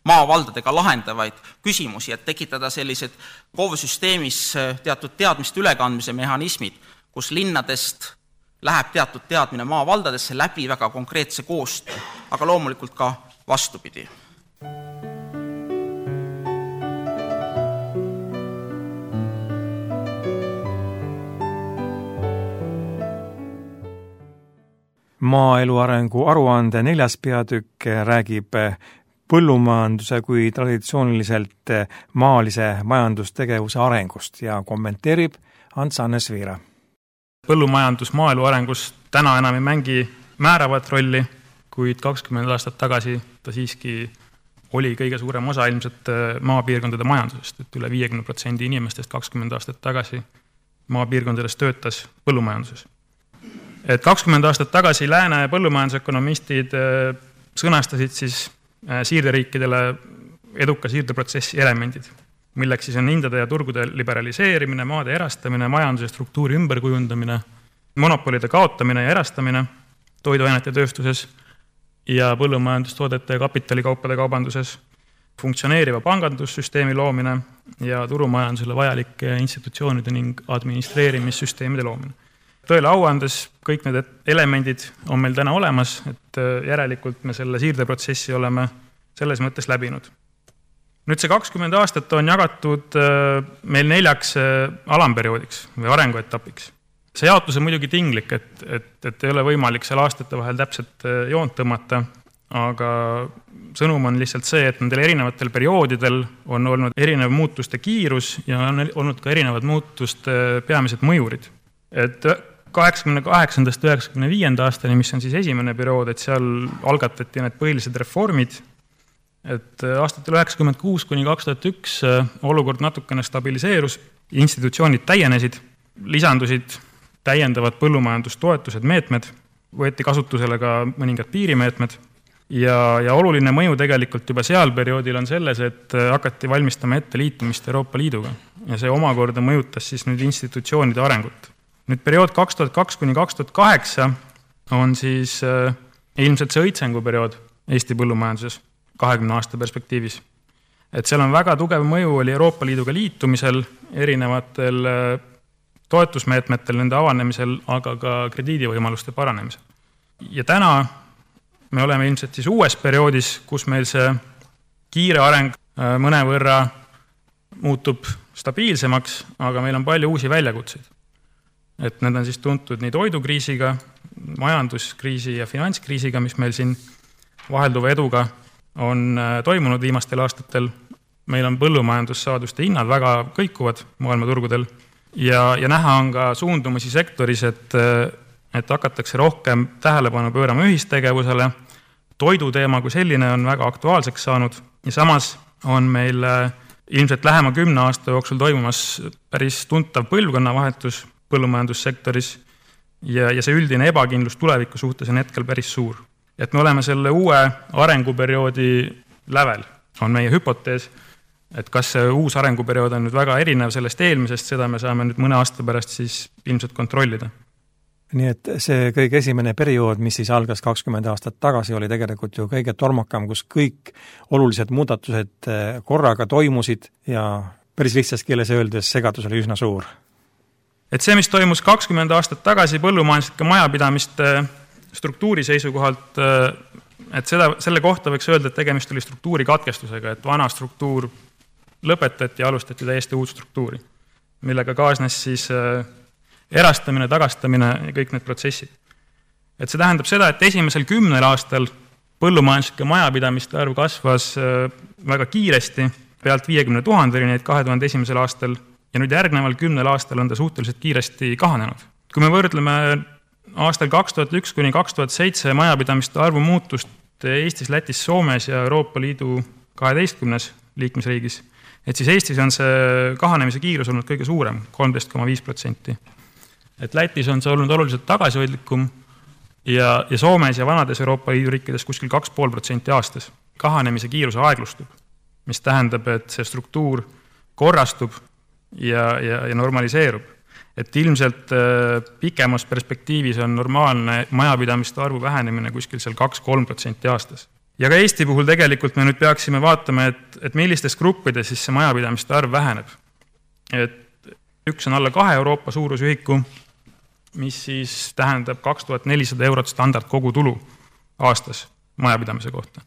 Speaker 7: maavaldadega lahendavaid küsimusi, et tekitada sellised KOV-süsteemis teatud teadmiste ülekandmise mehhanismid, kus linnadest läheb teatud teadmine maavaldadesse läbi väga konkreetse koostöö, aga loomulikult ka vastupidi.
Speaker 1: Maaelu arengu aruande 4. peatükk räägib põllumajanduse kui traditsiooniliselt maalise majandustegevuse arengust ja kommenteerib Ants-Hannes Viira.
Speaker 8: Põllumajandus maaelu arengus täna enam ei mängi määravat rolli, kuid 20 aastat tagasi ta siiski oli kõige suurem osa ilmselt maapiirkondade majandusest, et üle 50% inimestest 20 aastat tagasi maapiirkondades töötas põllumajanduses. Et 20 aastat tagasi lääne põllumajandusökonomistid sõnastasid siis siirderiikidele eduka siirdeprotsessi elemendid, milleks siis on hindade ja turgude liberaliseerimine, maade erastamine, majanduse struktuuri ümberkujundamine, monopolide kaotamine ja erastamine toiduainete tööstuses ja põllumajandustoodete ja kapitalikaupade kaubanduses, funktsioneeriva pangandussüsteemi loomine ja turumajandusele vajalike institutsioonide ning administreerimissüsteemide loomine. Tõele au andes kõik need elemendid on meil täna olemas, et järelikult me selle siirdeprotsessi oleme selles mõttes läbinud. Nüüd see 20 aastat on jagatud meil 4 alamperioodiks või arenguetapiks. See jaotus on muidugi tinglik, et ei ole võimalik seal aastate vahel täpselt joont tõmmata, aga sõnum on lihtsalt see, et nendel erinevatel perioodidel on olnud erinev muutuste kiirus ja on olnud ka erinevad muutuste peamised mõjurid. Et 88-95 aastani, mis on siis esimene periood, et seal algatati need põhilised reformid, et aastatel 96-2001 olukord natukene stabiliseerus, institutsioonid täienesid, lisandusid täiendavad põllumajandustoetused, meetmed, võeti kasutusele ka mõningad piirimeetmed ja oluline mõju tegelikult juba seal perioodil on selles, et hakati valmistama ette liitumist Euroopa Liiduga ja see omakorda mõjutas siis nüüd institutsioonide arengut. Nüüd periood 2002-2008 on siis ilmselt see õitsenguperiood Eesti põllumajanduses 20 aasta perspektiivis. Et seal on väga tugev mõju oli Euroopa Liiduga liitumisel, erinevatel toetusmeetmetel, nende avanemisel, aga ka krediidivõimaluste paranemisel. Ja täna me oleme ilmselt siis uues perioodis, kus meil see kiire areng mõnevõrra muutub stabiilsemaks, aga meil on palju uusi väljakutseid. Et need on siis tuntud nii toidukriisiga, majanduskriisi ja finantskriisiga, mis meil siin vahelduva eduga on toimunud viimastel aastatel. Meil on põllumajandussaaduste hinnad väga kõikuvad maailmaturgudel ja näha on ka suundumusi sektoris, et hakatakse rohkem tähelepanu pöörama ühistegevusele. Toiduteema kui selline on väga aktuaalseks saanud ja samas on meil ilmselt lähema 10 aasta jooksul toimumas päris tuntav põlvkonnavahetus põllumajandussektoris ja see üldine ebakindlus tuleviku suhtes on hetkel päris suur. Et me oleme selle uue arenguperioodi lävel, on meie hüpotees, et kas see uus arenguperiood on nüüd väga erinev sellest eelmisest, seda me saame nüüd mõne aasta pärast siis ilmselt kontrollida.
Speaker 1: Nii et see kõige esimene periood, mis siis algas 20 aastat tagasi, oli tegelikult ju kõige tormakam, kus kõik olulised muudatused korraga toimusid ja päris lihtsas keeles öeldes segadus oli üsna suur. Et see, mis toimus 20 aastat tagasi põllumajanduslike majapidamiste struktuuri seisukohalt, et selle kohta võiks öelda, et tegemist oli struktuuri katkestusega, et vana struktuur lõpetati ja alustati täiesti uut struktuuri, millega kaasnes siis
Speaker 8: erastamine, tagastamine ja kõik need protsessid. Et see tähendab seda, et esimesel 10 aastal põllumajanduslike majapidamiste arv kasvas väga kiiresti, pealt 50 000 neid 2001. aastal ja nüüd järgneval 10 aastal on ta suhteliselt kiiresti kahanenud. Kui me võrdleme aastal 2001 kuni 2007 majapidamiste arvu muutust Eestis, Lätis, Soomes ja Euroopa Liidu 12 liikmesriigis, et siis Eestis on see kahanemise kiirus olnud kõige suurem, 13,5%. Et Lätis on see olnud oluliselt tagasihoidlikum ja Soomes ja vanades Euroopa Liidu riikides kuskil 2,5% aastas. Kahanemise kiirus aeglustub, mis tähendab, et see struktuur korrastub ja normaliseerub. Et ilmselt pikemas perspektiivis on normaalne majapidamiste arvu vähenemine kuskil seal 2-3% aastas. Ja ka Eesti puhul tegelikult me nüüd peaksime vaatama, et millistes gruppides siis see majapidamiste arv väheneb. Et üks on alla 2 Euroopa suurusühiku, mis siis tähendab 2400 eurot standard kogutulu aastas majapidamise kohta.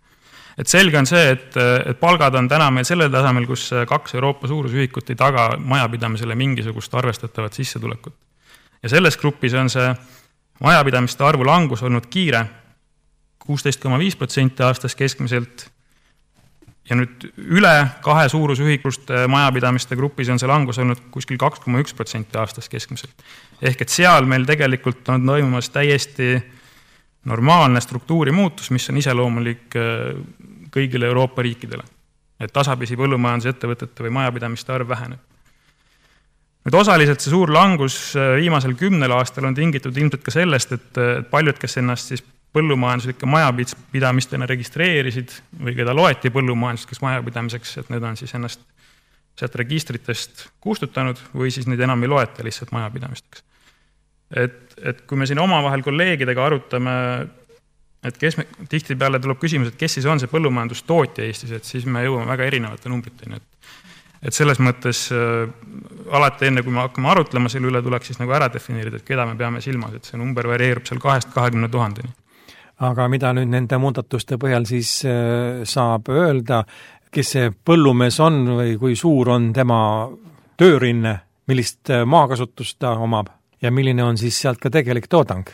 Speaker 8: Et selge on see, et palgad on täna meil sellel tasemel, kus 2 Euroopa suurusühikut ei taga majapidamisele mingisugust arvestatavat sissetulekut. Ja selles grupis on see majapidamiste arvu langus olnud kiire, 16,5% aastas keskmiselt ja nüüd üle 2 suurusühikust majapidamiste grupis on see langus olnud kuskil 2,1% aastas keskmiselt. Ehk et seal meil tegelikult on toimumas täiesti normaalne struktuuri muutus, mis on iseloomulik kõigile Euroopa riikidele. Et tasapisi põllumajandusettevõtete või majapidamiste arv väheneb. Nüüd osaliselt see suur langus viimasel 10 aastal on tingitud ilmselt ka sellest, et paljud, kes ennast siis põllumajanduslike majapidamistena registreerisid või keda loeti põllumajanduslikeks majapidamiseks, et need on siis ennast sealt registritest kustutanud või siis neid enam ei loeta lihtsalt majapidamisteks. Et kui me siin omavahel kolleegidega arutame, et tihti peale tuleb küsimus, et kes siis on see põllumajandustootja Eestis, et siis me jõuame väga erinevate numbriteni. Et selles mõttes alati enne, kui me hakkame arutlema selle üle, tuleks siis nagu ära defineerida, et keda me peame silmas, et see number varieerub seal 2-20 000.
Speaker 1: Aga mida nüüd nende muudatuste põhjal siis saab öelda, kes see põllumees on või kui suur on tema töörinne, millist maakasutust ta omab ja milline on siis sealt ka tegelik toodang?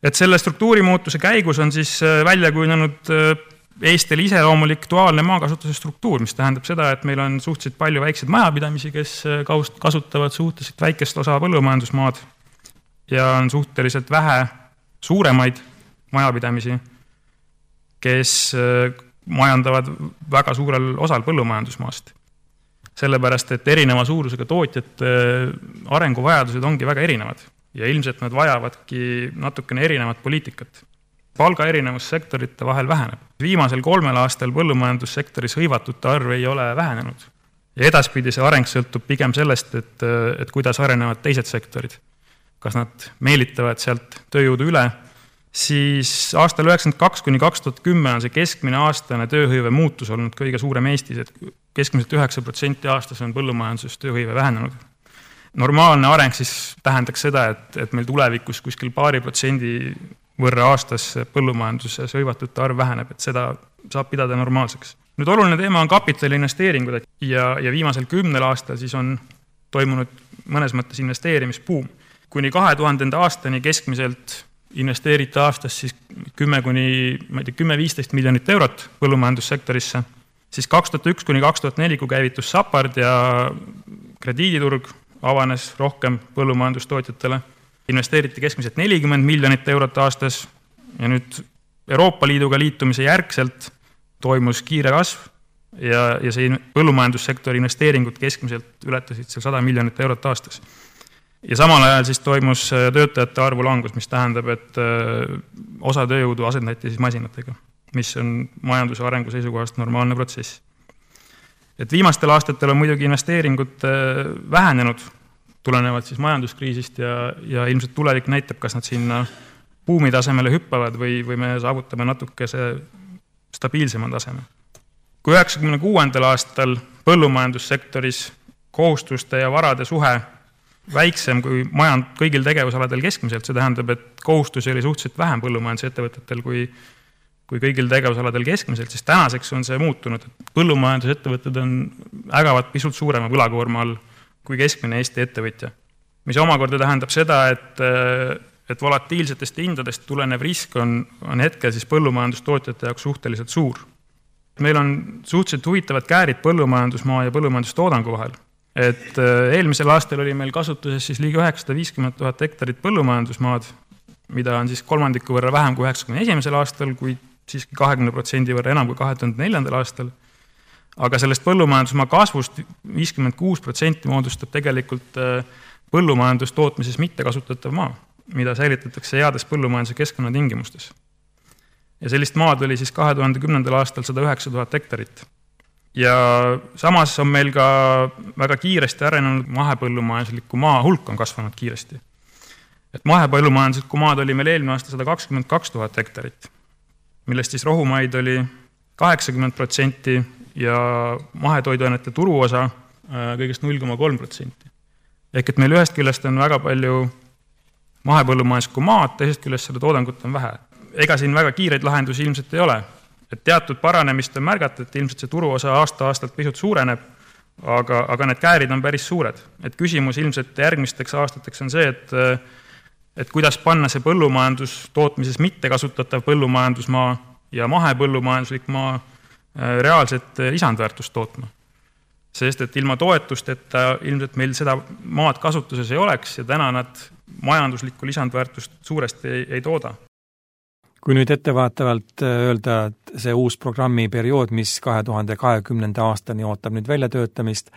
Speaker 1: Et selle struktuurimuutuse käigus on siis välja kujunenud Eestil iseloomulik duaalne maakasutuse struktuur, mis tähendab seda, et meil on suhteliselt palju väikseid majapidamisi, kes kasutavad suhteliselt väikest osa põllumajandusmaad ja on suhteliselt vähe suuremaid majapidamisi, kes majandavad väga suurel osal põllumajandusmaast. Sellepärast, et erineva suurusega tootjate arenguvajadused ongi väga erinevad ja ilmselt nad vajavadki natukene erinevat poliitikat. Palga erinevus sektorite vahel väheneb. Viimasel 3 aastal põllumajandussektoris hõivatute arv ei ole vähenenud. Ja edaspidi see areng sõltub pigem sellest, et kuidas arenevad teised sektorid. Kas nad meelitavad sealt tööjõudu üle, siis aastal 1992 kuni 2010 on see keskmine aastane tööhõive muutus olnud kõige suurem Eestis, et keskmiselt 9% aastas on põllumajanduses tööhõive vähenenud. Normaalne areng siis tähendaks seda, et meil tulevikus kuskil 2% võrra aastas põllumajanduses hõivatute arv väheneb, et seda saab pidada normaalseks. Nüüd oluline teema on kapitali investeeringud ja viimasel 10 aastal siis on toimunud mõnes mõttes investeerimisbuum. Kuni 2000. aastani keskmiselt investeeriti aastas siis 10-15 miljonit eurot põllumajandussektorisse. Siis 2001 kuni 2004, kui käivitus SAPARD ja krediiditurg avanes rohkem põllumajandustootjatele, investeeriti keskmiselt 40 miljonit eurot aastas ja nüüd Euroopa Liiduga liitumise järgselt toimus kiire kasv ja see põllumajandussektori investeeringud keskmiselt ületasid seal 100 miljonit eurot aastas. Ja samal ajal siis toimus töötajate arvu langus, mis tähendab, et osa tööjõudu asendati siis masinatega, mis on majanduse arengu seisukohast normaalne protsess. Et viimastel aastatel on muidugi investeeringud vähenenud, tulenevad siis majanduskriisist ja ilmselt tulevik näitab, kas nad sinna buumi tasemele hüppavad või me saavutame natuke see stabiilsema taseme. Kui 1996. aastal põllumajandussektoris kohustuste ja varade suhe väiksem kui kõigil tegevusaladel keskmiselt, see tähendab, et kohustusi oli suhteliselt vähem põllumajandusettevõtetel kui kõigil tegevusaladel keskmiselt, siis tänaseks on see muutunud. Põllumajandusettevõtted ägavad pisut suurema võlakoorma all kui keskmine Eesti ettevõtja.
Speaker 8: mis omakorda tähendab seda, et volatiilsetest hindadest tulenev risk on hetkel siis põllumajandustootjate jaoks suhteliselt suur. Meil on suhteliselt huvitavad käärid põllumajandusmaa ja põllumajandustoodangu vahel. Et eelmisel aastal oli meil kasutuses siis ligi 950 000 hektarit põllumajandusmaad, mida on siis kolmandiku võrra vähem kui 91. aastal, kui siiski 20% võrra enam kui 2004. aastal. Aga sellest põllumajandusmaa kasvust 56% moodustab tegelikult põllumajandustootmises mitte kasutatav maa, mida säilitatakse heades põllumajanduse keskkonnatingimustes. Ja sellist maad oli siis 2010. aastal 109 000 hektarit. Ja samas on meil ka väga kiiresti arenenud mahepõllumajandusliku maa hulk on kasvanud kiiresti. Et mahepõllumajandusliku maad oli meil eelmine aasta 122 000 hektarit, millest siis rohumaid oli 80% ja mahetoiduainete turuosa kõigest 0,3%. Ehk et meil ühest küljest on väga palju mahepõllumajanduslikku maad, teisest küljest seda toodangut on vähe. Ega siin väga kiireid lahendusi ilmselt ei ole. Et teatud paranemist on märgata, et ilmselt see turuosa aasta-aastalt pisut suureneb, aga need käärid on päris suured. Et küsimus ilmselt järgmisteks aastateks on see, et kuidas panna see põllumajandustootmises mitte kasutatav põllumajandusmaa ja mahepõllumajanduslik maa reaalset lisandväärtust tootma. Sest et ilma toetusteta ilmselt meil seda maad kasutuses ei oleks ja täna nad majanduslikku lisandväärtust suuresti ei tooda.
Speaker 1: Kui nüüd ettevaatavalt öelda, et see uus programmiperiood, mis 2020. aastani ootab nüüd väljatöötamist,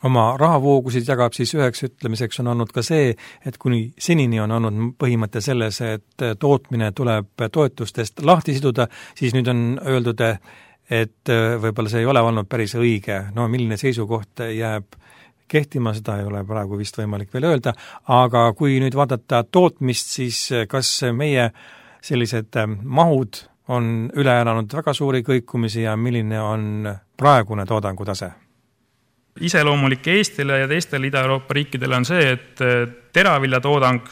Speaker 1: oma rahavoogusid jagab, siis üheks ütlemiseks on olnud ka see, et kuni senini on olnud põhimõte selles, et tootmine tuleb toetustest lahti siduda, siis nüüd on öeldud, et võib-olla see ei ole olnud päris õige. No milline seisukoht jääb kehtima, seda ei ole praegu vist võimalik veel öelda, aga kui nüüd vaadata tootmist, siis kas meie sellised mahud on üle elanud väga suuri kõikumisi ja milline on praegune toodangu tase?
Speaker 8: Iseloomulik Eestile ja teistele Ida-Euroopa riikidele on see, et teraviljatoodang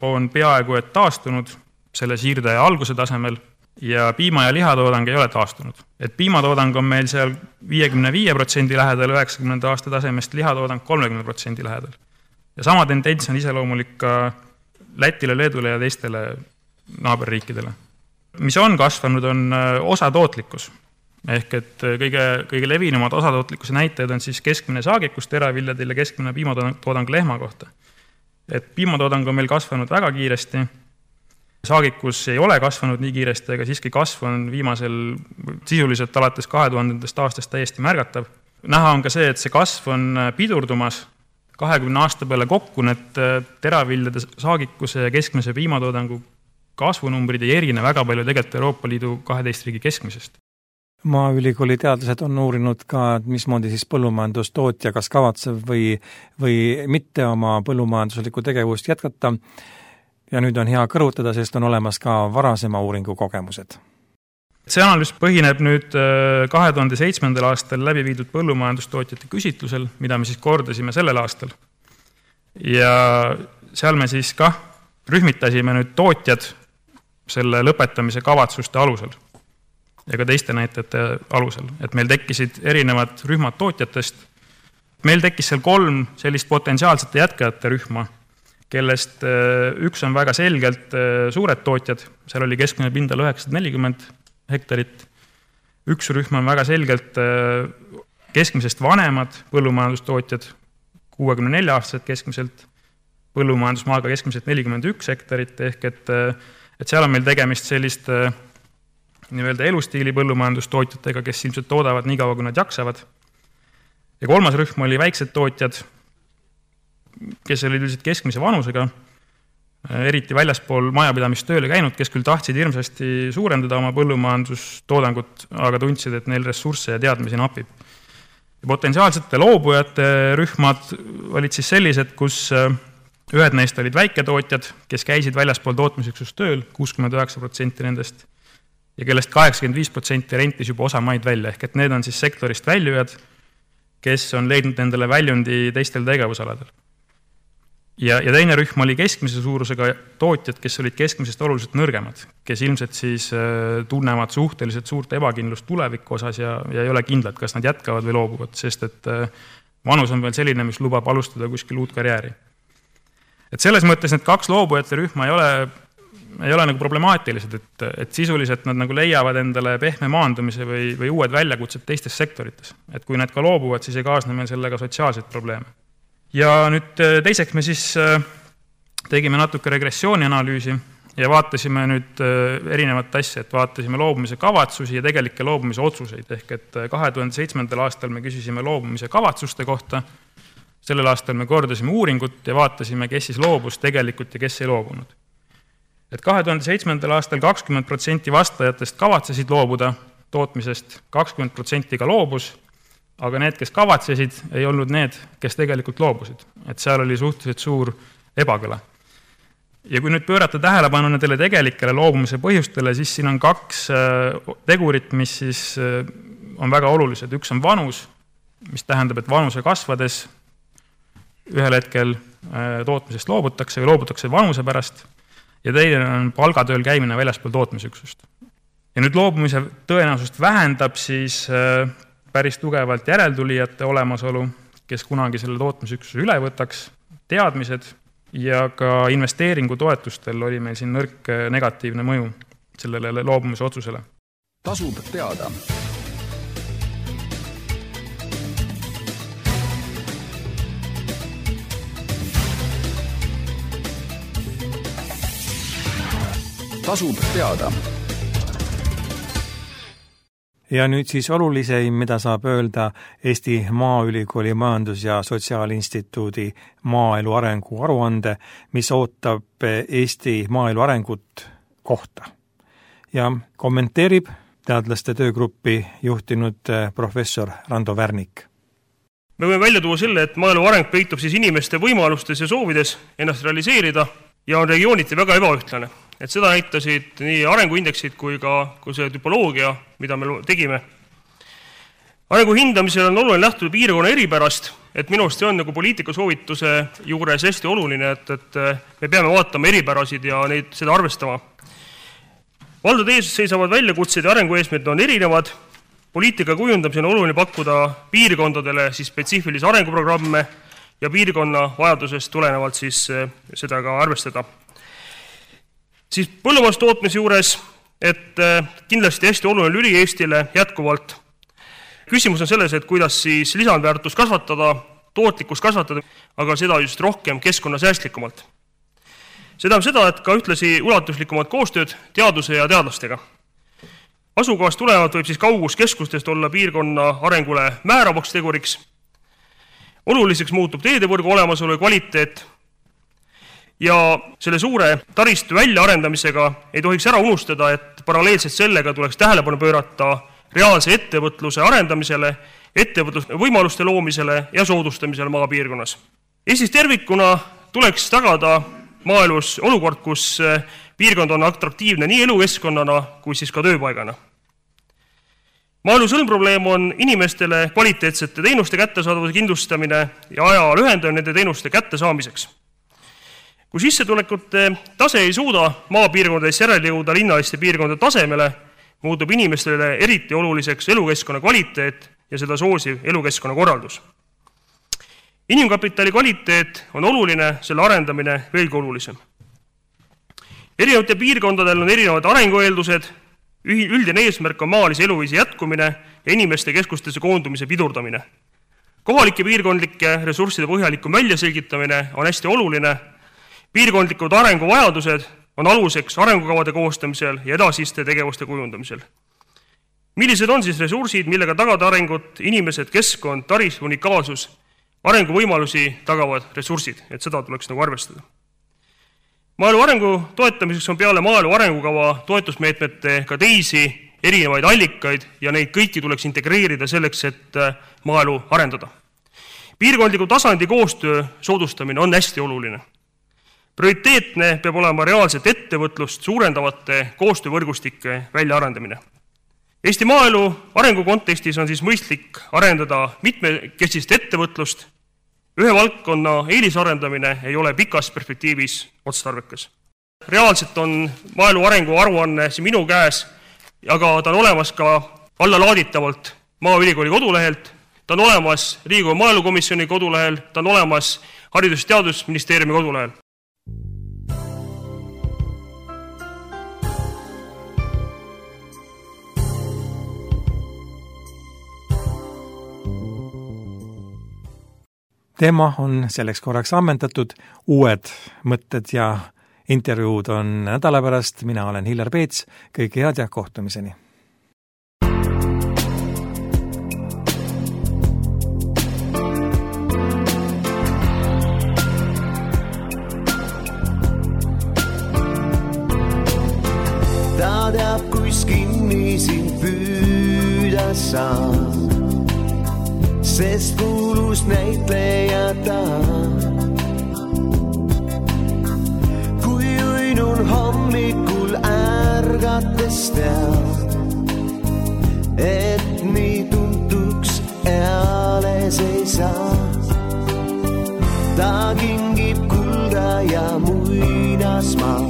Speaker 8: on peaaegu et taastunud selle siirde alguse tasemel ja piima- ja lihatoodang ei ole taastunud. Et piimatoodang on meil seal 55% lähedal 90. aasta tasemest, lihatoodang 30% lähedal. Ja sama tendents on iseloomulik ka Lätile, Leedule ja teistele naaberriikidele. Mis on kasvanud, on osatootlikkus. Ehk et kõige levinumad osatootlikkuse näitajad on siis keskmine saagikus teraviljadel ja keskmine piimatoodang lehma kohta. Et piimatoodang on meil kasvanud väga kiiresti, saagikus ei ole kasvanud nii kiiresti, aga siiski kasv on viimasel sisuliselt alates 2000. aastast täiesti märgatav. Näha on ka see, et see kasv on pidurdumas 20 aasta peale kokku, need teraviljade saagikuse ja keskmise piimatoodangu kasvunumbrid ei erine väga palju tegelikult Euroopa Liidu 12 riigi keskmisest.
Speaker 1: Maaülikooli teadlased on uurinud ka, mismoodi siis põllumajandustootja kas kavatsev või mitte oma põllumajanduslikku tegevust jätkata. Ja nüüd on hea kõrvutada, sest on olemas ka varasema uuringu kogemused.
Speaker 8: See analüüs põhineb nüüd 2007. aastal läbi viidud põllumajandustootjate küsitlusel, mida me siis kordasime sellel aastal. Ja seal me siis ka rühmitasime nüüd tootjad selle lõpetamise kavatsuste alusel ja ka teiste näitajate alusel, et meil tekkisid erinevad rühmad tootjatest. Meil tekkis seal 3 sellist potentsiaalsete jätkajate rühma, kellest üks on väga selgelt suured tootjad, seal oli keskmine pindal 940 hektarit. Üks rühm on väga selgelt keskmisest vanemad põllumajandustootjad, 64-aastased keskmiselt, põllumajandusmaaga keskmiselt 41 hektarit, ehk et seal on meil tegemist sellist nii-öelda elustiili põllumajandustootjatega, kes ilmselt toodavad nii kaua, kui nad jaksavad. Ja 3. rühm oli väiksed tootjad, kes olid üldiselt keskmise vanusega, eriti väljaspool majapidamistööle käinud, kes küll tahtsid hirmsasti suurendada oma põllumajandustoodangut, aga tundsid, et neil ressursse ja teadmisi napib. Ja potentsiaalsete loobujate rühmad olid siis sellised, kus ühed neist olid väiketootjad, kes käisid väljaspool tootmisüksust tööl, 69% nendest, ja kellest 85% rentis juba osa maid välja, ehk et need on siis sektorist väljujad, kes on leidnud endale väljundi teistel tegevusaladel. Ja teine rühm oli keskmise suurusega tootjad, kes olid keskmisest oluliselt nõrgemad, kes ilmselt siis tunnevad suhteliselt suurt ebakindlust tuleviku osas ja ei ole kindlad, kas nad jätkavad või loobuvad, sest et vanus on veel selline, mis lubab alustada kuskil uut karjääri. Et selles mõttes need kaks loobujate rühma ei ole nagu problemaatilised, et sisuliselt nad nagu leiavad endale pehme maandumise või uued väljakutsed teistes sektorites. Et kui need ka loobuvad, siis ei kaasne meil sellega sotsiaalseid probleeme. Ja nüüd teiseks me siis tegime natuke regressiooni analüüsi ja vaatasime nüüd erinevat asja, et vaatasime loobumise kavatsusi ja tegelikke loobumise otsuseid. Ehk et 2007. aastal me küsisime loobumise kavatsuste kohta, sellel aastal me kordasime uuringut ja vaatasime, kes siis loobus tegelikult ja kes ei loobunud. Et 2007. aastal 20% vastajatest kavatsesid loobuda tootmisest, 20% ka loobus, aga need, kes kavatsesid, ei olnud need, kes tegelikult loobusid. Et seal oli suhteliselt suur ebakõla. Ja kui nüüd pöörata tähelepanu nendele tegelikele loobumise põhjustele, siis siin on kaks tegurit, mis siis on väga olulised. Üks on vanus, mis tähendab, et vanuse kasvades ühel hetkel tootmisest loobutakse või loobutakse vanuse pärast ja teine on palgatööl käimine väljaspool tootmisüksust. Ja nüüd loobumise tõenäosust vähendab siis päris tugevalt järeltulijate olemasolu, kes kunagi selle tootmisüksuse üle võtaks, teadmised ja ka investeeringu toetustel oli meil siin nõrk negatiivne mõju sellele loobumise otsusele.
Speaker 9: Tasub teada. Tasub teada.
Speaker 1: Ja nüüd siis oluliseim, mida saab öelda Eesti Maaülikooli Majandus- ja Sotsiaalinstituudi maaelu arengu aruande, mis ootab Eesti maaelu arengut kohta. Ja kommenteerib teadlaste töögruppi juhtinud professor Rando Värnik.
Speaker 4: Me võime välja tuua selle, et maaelu areng peitub siis inimeste võimalustes ja soovides ennast realiseerida ja on regiooniti väga ebaühtlane. Et seda näitasid nii arenguindeksid kui see tüpoloogia, mida me tegime. Arengu hindamisel on oluline lähtuda piirkonna eripärast, et minu arust see on nagu poliitika soovituse juures hästi oluline, et me peame vaatama eripärasid ja seda arvestama. Valdade ees seisavad väljakutsed ja arengueesmõtted on erinevad. Poliitika kujundamisel on oluline pakkuda piirkondadele siis spetsiifilisi arenguprogramme ja piirkonna vajadusest tulenevalt siis seda ka arvestada. Siis põllumajandustootmise juures, et kindlasti hästi oluline lüli Eestile jätkuvalt. Küsimus on selles, et kuidas siis lisandväärtust kasvatada, tootlikkust kasvatada, aga seda just rohkem keskkonnasäästlikumalt. Seda on seda, et ka ühtlasi ulatuslikumad koostööd teaduse ja teadlastega. Asukohast tulenevalt võib siis kaugus keskustest olla piirkonna arengule määravaks teguriks. Oluliseks muutub teedevõrgu olemasolu ja kvaliteet. Ja selle suure taristu väljaarendamisega ei tohiks ära unustada, et paralleelselt sellega tuleks tähelepanu pöörata reaalse ettevõtluse arendamisele, ettevõtluse võimaluste loomisele ja soodustamisele maapiirkonnas. Eestis tervikuna tuleks tagada maaelus olukord, kus piirkond on atraktiivne nii elukeskkonnana kui siis ka tööpaigana. Maaelu sõlmprobleem on inimestele kvaliteetsete teenuste kättesaadavuse kindlustamine ja aja lühendamine nende teenuste kättesaamiseks. Kui sissetulekute tase ei suuda maapiirkondades järele jõuda linnaliste piirkondade tasemele, muutub inimestele eriti oluliseks elukeskkonna kvaliteet ja seda soosiv elukeskkonna korraldus. Inimkapitali kvaliteet on oluline, selle arendamine veelgi olulisem. Erinevate piirkondadel on erinevad arengueeldused, üldine eesmärk on maalise eluviisi jätkumine ja inimeste keskustesse koondumise pidurdamine. Kohalike piirkondlike ressursside põhjalikum väljaselgitamine on hästi oluline. Piirkondlikud arenguvajadused on aluseks arengukavade koostamisel ja edasiste tegevuste kujundamisel. Millised on siis ressursid, millega tagada arengut, inimesed, keskkond, taristu, unikaalsus, arenguvõimalusi tagavad ressursid, et seda tuleks nagu arvestada. Maaelu arengu toetamiseks on peale maaelu arengukava toetusmeetmete ka teisi erinevaid allikaid ja neid kõiki tuleks integreerida selleks, et maaelu arendada. Piirkondliku tasandi koostöö soodustamine on hästi oluline. Prioriteetne peab olema reaalset ettevõtlust suurendavate koostöövõrgustike väljaarendamine. Eesti maaelu arengu kontekstis on siis mõistlik arendada mitmekesist ettevõtlust. Ühe valdkonna eelisarendamine ei ole pikas perspektiivis otstarbekas. Reaalselt on maaelu arengu aruanne siin minu käes, aga ta on olemas ka allalaaditavalt Maaülikooli kodulehelt, ta on olemas Riigikogu maaelukomisjoni kodulehel, ta on olemas Haridus- ja Teadusministeeriumi kodulehel.
Speaker 1: teema on selleks korraks ammendatud, uued mõtted ja intervjuud on nädala pärast, mina olen Hillar Peets, kõike head ja kohtumiseni!
Speaker 10: Ta teab, kuis kinni sind püüda saab, sest kuulus näitleja ta. Kui uinun hommikul ärgates teab, et nii tuntuks eales ei saa. Ta kingib kulda ja muinasmaa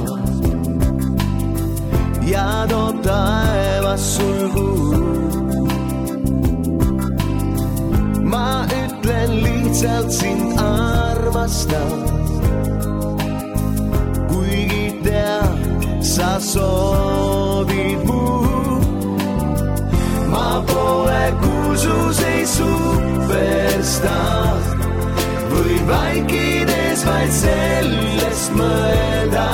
Speaker 10: ja toob taevas sulgu. Ma ütlen lihtsalt sind armastan, kuigi tead, sa soovid mu. Ma pole kursus ei superstar, võin vaikides vaid sellest mõelda.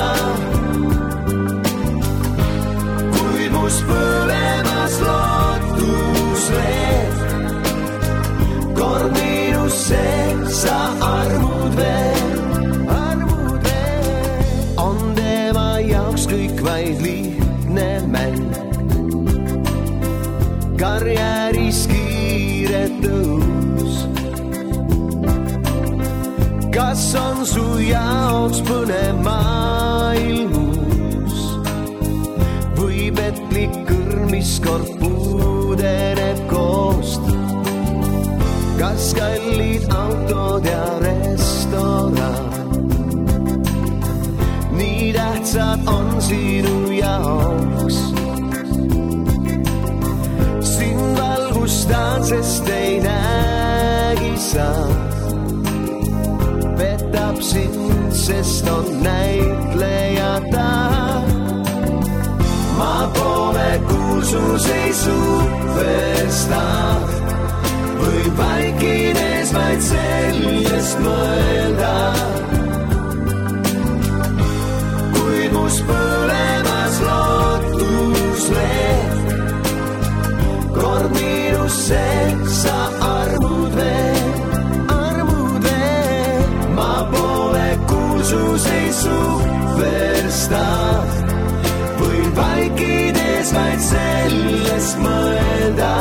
Speaker 10: Põlemas lootusleed, kord miinusse sa armud veel. On tema jaoks kõik vaid lihtne mäng, karjääris kiire tõus. Kas on su jaoks põnev maailm? Petlik kõrmis kord puudeneb koost. Kas kallid autod ja restoran nii tähtsad on sinu jaoks? Sind valgustan, sest ei näegi sa. Petab sind, sest on näitleja ta. Ma pole kursus ei superstar, või vaikides vaid sellest mõelda. Kuid mus põlemas lootusleed, kord miinusse sa armud veel. Ma pole kursus ei superstar, võin vaikides vaid sellest mõelda.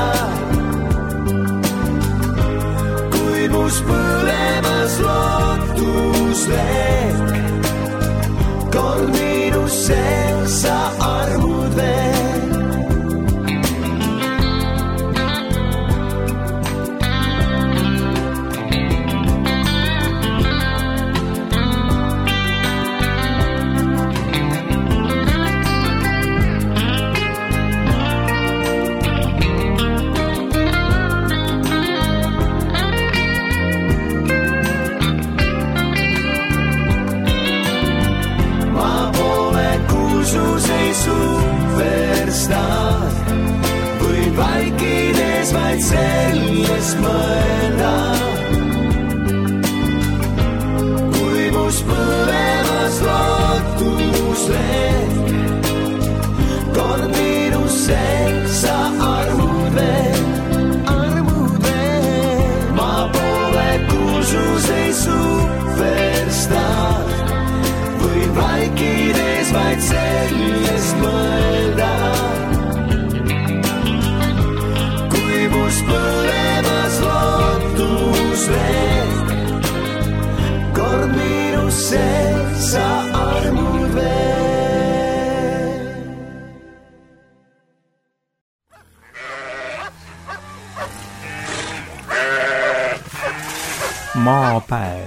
Speaker 10: Kuid mus põlemas lootusleek, kord miinusse sa armud veel. Superstar, võin vaikides vaid sellest mõelda. Kui mus põlemas lootusleed, kord miinusse sa armud veel. Ma pole kursus ei superstar, võin vaikides vaid sellest mõelda. Kui mus põlemas lootusleed, kord miinusse sa armud veel.
Speaker 1: Maapäev.